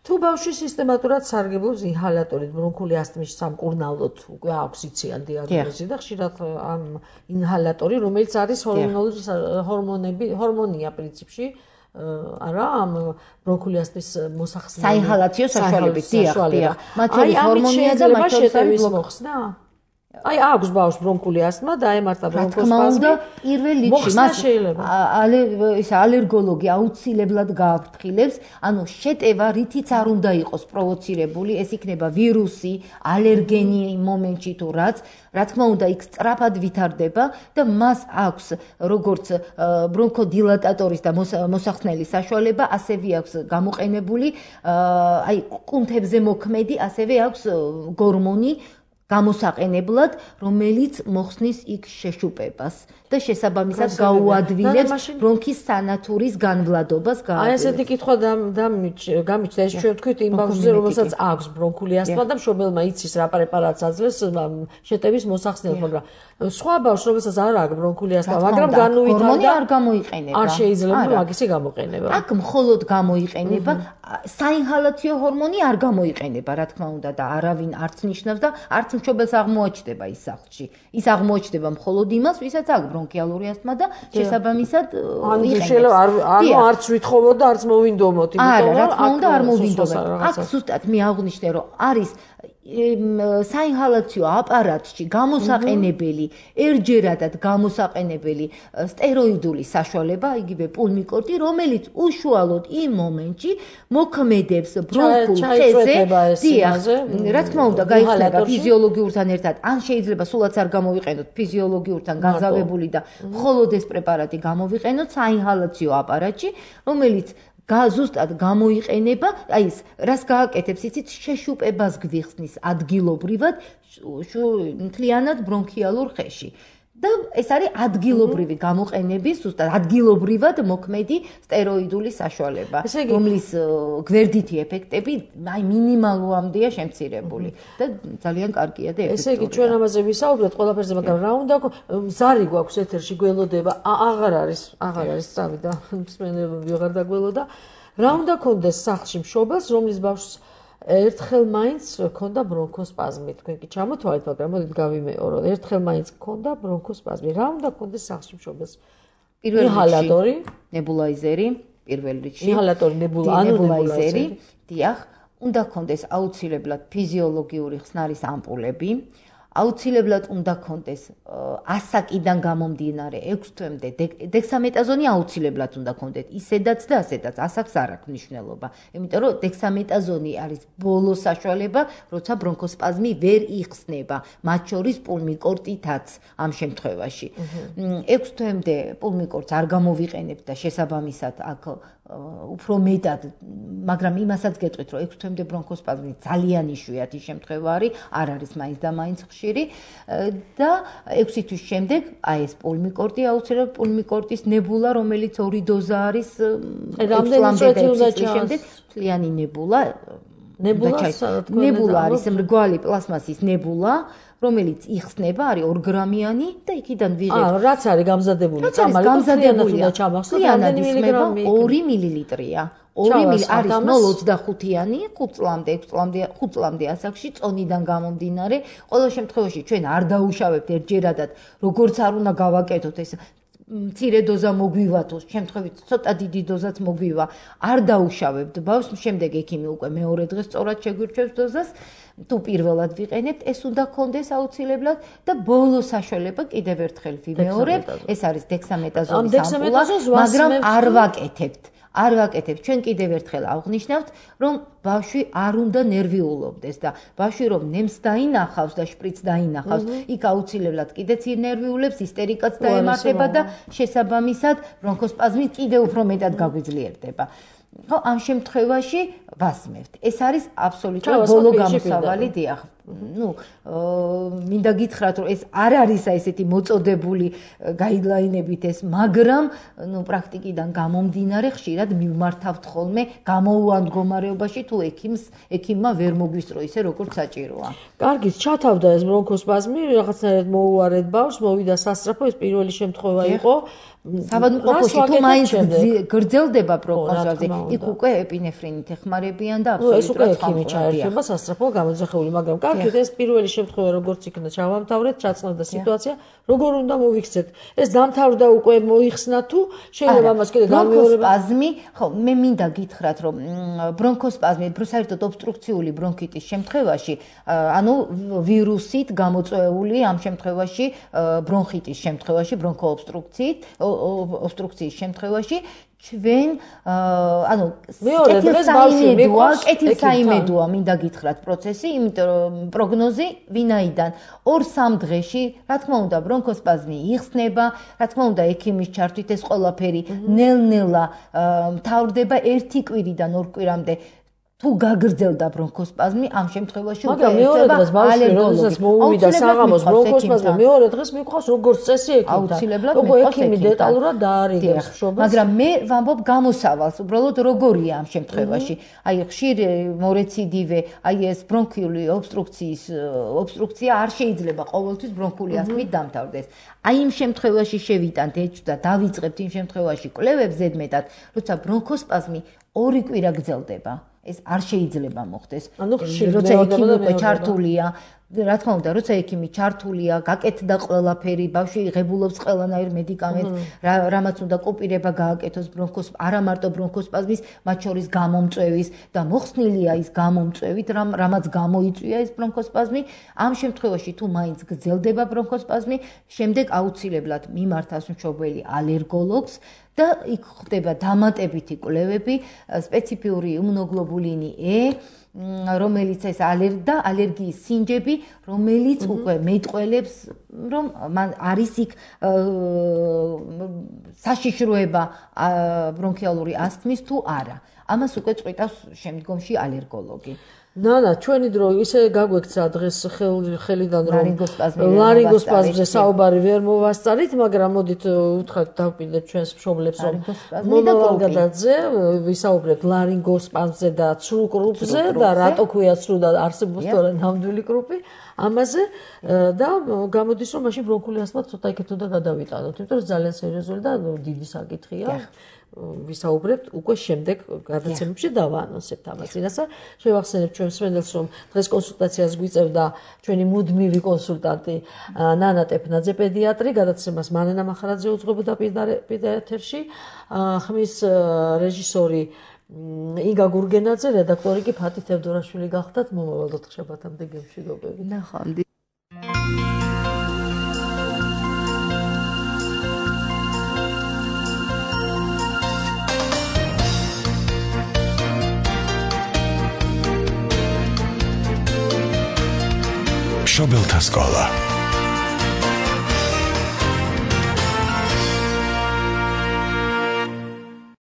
Speaker 2: თუ ბავშვი სისტემატურად სარგებლობს ინჰალატორით, ბრონქული ასთმის სამკურნალოდ უკვე აქვს იციან დიაგნოზი და ხშირად ამ ინჰალატორი, რომელიც არის ჰორმონული ჰორმონები, ჰორმონია პრინციპში, არა, ამ ბრონქული ასთმის მოსახსნელი
Speaker 3: საინჰალაციო საშუალებით, დიახ, დიახ. მათ შორის ჰორმონია და მათ შორის
Speaker 2: შეტევის მოხსნა? აი აქვს ბავშვს ბრონქული ასთმა და ემართა ბრონქოსპაზმი.
Speaker 3: პირველ რიგში მას ეს ალერგოლოგი აუცილებლად გააფრთხილებს, ანუ შეტევა რითიც არ უნდა იყოს პროვოცირებული, ეს იქნება ვირუსი, ალერგენი მომენტში თუ რაც, რა თქმა უნდა იქ სწრაფად ვითარდება და მას აქვს როგორც ბრონქოდილატატორის და მოსახსნელის საშუალება, ასევე აქვს გამოყენებული აი კუნთებზე მოქმედი, ასევე აქვს გორმონი გამოსაყენებლად, რომელიც მოხსნის იქ შეშუპებას და შესაბამისად გაუადვილებს ბრონქის სანათურის განვლადობას.
Speaker 2: აი ესეთი კითხვა გამიჩნდა, ეს ჩვენ თქვით იმ ბავშვზე, რომელსაც აქვს ბრონქული ასთმა და მშობელმა იცის რა პრეპარატს აძლევს შეტევის მოსახსნელს, მაგრამ სხვა ბავშვს, რომელსაც არ აქვს ბრონქული ასთმა, მაგრამ განუვითარდა
Speaker 3: არ გამოიყენება.
Speaker 2: არ შეიძლება მაგისი გამოყენება.
Speaker 3: აქ მხოლოდ გამოიყენება საინჰალაციო ჰორმონი არ გამოიყენება, რა თქმა უნდა და არავინ არც ნიშნავს და არც მშობელს აღმოაჩნდება ის სახლში. ის აღმოაჩნდება მხოლოდ იმას, ვისაც აქვს ბრონქიალური ასთმა და შესაბამისად
Speaker 2: შეიძლება ანუ არც ვითხოვოთ და არც მოვინდომოთ,
Speaker 3: იმიტომ რომ რა თქმა უნდა არ მოვინდომოთ. აქ ზუსტად მე აღვნიშნე, რომ არის საინჰალაციო აპარატში გამოსაყენებელი, ერჯერადად გამოსაყენებელი სტეროიდული საშუალება, იგივე პულმიკორტი, რომელიც უშუალოდ იმ მომენტში მოქმედებს ბრონქულ ხეზე. დიახ, რა თქმა უნდა, გაიხსნება ფიზიოლოგიურთან ერთად, ან შეიძლება სულაც არ გამოვიყენოთ ფიზიოლოგიურთან განზავებული და მხოლოდ ეს პრეპარატი გამოვიყენოთ საინჰალაციო აპარატში, რომელიც ზუსტად გამოიყენება, აი ეს რას გააკეთებს, იცით, შეშუპებას გვიხსნის ადგილობრივად მთლიანად ბრონქიალურ ხეში. და ეს არის ადგილობრივი გამოყენების, ზუსტად ადგილობრივად მოქმედი სტეროიდული საშუალება, რომლის გვერდითი ეფექტები აი მინიმალურამდეა შემცირებული და ძალიან კარგია და ეფექტურია.
Speaker 2: ესე იგი ჩვენ ამაზე ვისაუბრეთ ყველაფერზე, მაგრამ რა უნდა ზარი გვაქვს ეთერში გველოდება, აღარ არის, აღარ არის სწავი და მსმენელები აღარ დაგველოდა. რა უნდა კონდეს სახლში მშობელს, რომლის ბავშვს ერთხელ მაინც ქონდა ბრონქოსპაზმი, თქვენ კი ჩამოთვალეთ, მაგრამ მოდით გავიმეორო. ერთხელ მაინც ქონდა ბრონქოსპაზმი. რა უნდა კონდეს სახლში მშობელს?
Speaker 3: პირველ ინჰალატორი, ნებულაიზერი, პირველ რიგში.
Speaker 2: ინჰალატორი, ნებულა, ანუ
Speaker 3: ნებულაიზერი, დიახ, უნდა კონდეს აუცილებლად ფიზიოლოგიური ხსნარის ამპულები. აუცილებლად უნდა კონდეს ასაკიდან გამომდინარე ექვს თვემდე დექსამეტაზონი აუცილებლად უნდა კონდეთ ისედაც და ასედაც ასაკს არ აქვს მნიშვნელობა, იმიტომ რომ დექსამეტაზონი არის ბოლო საშუალება, როცა ბრონქოსპაზმი ვერ იხსნება, მათ შორის პულმიკორტითაც ამ შემთხვევაში. ექვს თვემდე პულმიკორტს არ გამოვიყენებთ და შესაბამისად აქ უფრო მეტად, მაგრამ იმასაც გეტყვით, რომ ექვს თვემდე ბრონქოსპაზმი ძალიან იშვიათი შემთხვევა არის, არ არის მაინც და მაინც ხშირი და ექვსი თვის შემდეგ აი ეს პულმიკორტი აუცილებლად პულმიკორტის ნებულა, რომელიც ორი დოზა არის შემდეგ მთლიანი ნებულა ნებულა არის მრგვალი პლასმასის ნებულა, რომელიც იხსნება, არის ორ გრამიანი და იქიდან ვიღებთ.
Speaker 2: აა, რაც არის გამზადებული, წამალი
Speaker 3: გამზადებულია, მთლიანად ისმება ორი მილilitrია. ორი მილი არის ნულ ოცდახუთიანი, ხუთ წლამდე, ექვს წლამდე, ხუთ წლამდე ასაკში წონიდან გამომდინარე, ყოველ შემთხვევაში ჩვენ არ დაუშავებთ ერთჯერადად, როგორც არ უნდა გავაკეთოთ ეს მცირე დოზა მოგვივა თუ შემთხვევით ცოტა დიდი დოზაც მოგვივა, არ დაუშავებთ ბავშვს, შემდეგ ექიმი უკვე მეორე დღეს სწორად შეგვირჩევს დოზას. თუ პირველად ვიყენებთ, ეს უნდა კონდეს აუცილებლად და ბოლო საშუალება კიდევ ერთხელ ვიმეორებ, ეს არის დექსამეტაზონის ამპულა, მაგრამ არ ვაკეთებთ. არ ვაკეთებთ. ჩვენ კიდევ ერთხელ აღვნიშნავთ, რომ ბავშვი არ უნდა ნერვიულობდეს და ბავშვი რომ ნემს დაინახავს და შპრიც დაინახავს, იქ აუცილებლად კიდეც ნერვიულებს, ისტერიკაც დაემართება და შესაბამისად ბრონქოსპაზმი კიდევ უფრო მეტად გაგვიძლიერდება. ხო, ამ შემთხვევაში ვასმევთ. ეს არის აბსოლუტურად ბოლო გამოსავალი, დიახ. ну, მინდა გითხრათ, რომ ეს არ არის ესეთი მოწოდებული გაიდლაინებით ეს, მაგრამ ну, პრაქტიკიდან გამომდინარე ხშირად მივმართავთ ხოლმე გამოუვან მდგომარეობაში თუ ექიმს, ექიმმა ვერ მოგვისწრო ისე როგორც საჭიროა.
Speaker 2: კარგით, ჩათავდა ეს ბრონქოსპაზმი, რაღაცნაირად მოუარეთ ბავშვს, მოვიდა სასწრაფო, ეს პირველი შემთხვევა იყო.
Speaker 3: საბადმყოფოში თუ მაინც გრძელდება ბრონქოსპაზმი, იქ უკვე ეპინეფრინით ეხმარება ემყარებიან და აბსოლუტურად
Speaker 2: ხმამყრად ჩაერთვება სასწრაფო გამოძახეული, მაგრამ კარგით ეს პირველი შემთხვევა როგორც იქნა ჩავამთავრეთ, ჩაწყნდა სიტუაცია, როგორ უნდა მოვიქცეთ. ეს დამთავრდა უკვე მოიხსნა თუ შეიძლება ამას კიდე გამეორება?
Speaker 3: ბრონქოსპაზმი, ხო, მე მინდა გითხრათ, რომ ბრონქოსპაზმი, საერთოდ ობსტრუქციული ბრონქიტის შემთხვევაში, ანუ ვირუსით გამოწვეული ამ შემთხვევაში ბრონხიტის შემთხვევაში, ბრონქოობსტრუქციით, ობსტრუქციის შემთხვევაში ჩვენ ანუ კეთილსაიმედოა, კეთილსაიმედოა მინდა გითხრათ პროცესი, იმიტომ რომ პროგნოზი ვინაიდან ორ-სამ დღეში, რა თქმა უნდა, ბრონქოსპაზმი იხსნება, რა თქმა უნდა, ექიმის ჩართვით ეს ყველაფერი ნელ-ნელა მთავრდება ერთი კვირიდან ორ კვირამდე. თუ გაგრძელდა ბრონქოსპაზმი, ამ შემთხვევაში
Speaker 2: უკვე ერთება ალერგოლოგის მოუვიდა საღამოს ბრონქოსპაზმი, მეორე დღეს მიყვავს როგორც წესი ექიმთან.
Speaker 3: აუცილებლად
Speaker 2: როგორ ექიმი დეტალურად დაარიგებს შობას.
Speaker 3: მაგრამ მე ვამბობ გამოსავალს, უბრალოდ როგორია ამ შემთხვევაში. აი ხშირ მორეციდივე, აი ეს ბრონქიული ობსტრუქციის ობსტრუქცია არ შეიძლება ყოველთვის ბრონქული ასთმით დამთავრდეს. აი იმ შემთხვევაში შევიტანთ ეჭვ და დავიწყებთ იმ შემთხვევაში კვლევებს ზედმეტად, როცა ბრონქოსპაზმი ორი კვირა გრძელდება. ეს არ შეიძლება მოხდეს. როცა ექიმი უკვე ჩართულია, რა თქმა უნდა, როცა ექიმი ჩართულია, გაკეთდა ყველაფერი, ბავშვი იღებულობს ყველანაირ მედიკამენტს, რამაც უნდა კოპირება გააკეთოს ბრონქოს, არა მარტო ბრონქოსპაზმის, მათ შორის გამომწვევის და მოხსნილია ის გამომწვევით, რამაც გამოიწვია ეს ბრონქოსპაზმი. ამ შემთხვევაში თუ მაინც გრძელდება ბრონქოსპაზმი, შემდეგ აუცილებლად მიმართავს მშობელი ალერგოლოგს და იქ ხდება დამატებითი კვლევები, სპეციფიური იმუნოგლობულინი E, რომელიც ეს ალერგია, ალერგიის სინჯები, რომელიც უკვე მეტყველებს, რომ არის იქ საშიშროება ბრონქიალური ასთმის თუ არა. ამას უკვე წყვიტავს შემდგომში ალერგოლოგი.
Speaker 2: ნანა, ჩვენი დრო ისე გაგვექცა დღეს ხელიდან რომ ლარინგოსპაზმზე საუბარი ვერ მოვასწარით, მაგრამ მოდით უთხრათ დავპირდეთ ჩვენს მშობლებს რომ მომავალგადაზე ვისაუბრებთ ლარინგოსპაზმზე და ცრუ კრუპზე და რატო ქვია ცრუ და არსებობს თორე ნამდვილი კრუპი ამაზე და გამოდის რომ მაშინ ბრონქული ასთმა ცოტა იქით უნდა გადავიტანოთ, იმიტომ რომ ძალიან სერიოზული და დიდი საკითხია. ვისაუბრებთ უკვე შემდეგ გადაცემებში დავაანონსებთ ამას. წინასწარ შევახსენებ ჩვენს მსმენელს რომ დღეს კონსულტაციას გვიწევდა ჩვენი მუდმივი კონსულტანტი ნანა ტეფნაძე პედიატრი, გადაცემას მანენა მახარაძე უძღვებოდა პირდაპირ ეთერში, ხმის რეჟისორი იგა გურგენაძე, რედაქტორი კი ფათი თევდორაშვილი გახდათ. მომავალ ოთხშაბათამდე გემშვიდობები.
Speaker 3: ნახვამდის.
Speaker 4: მშობელთა სკოლა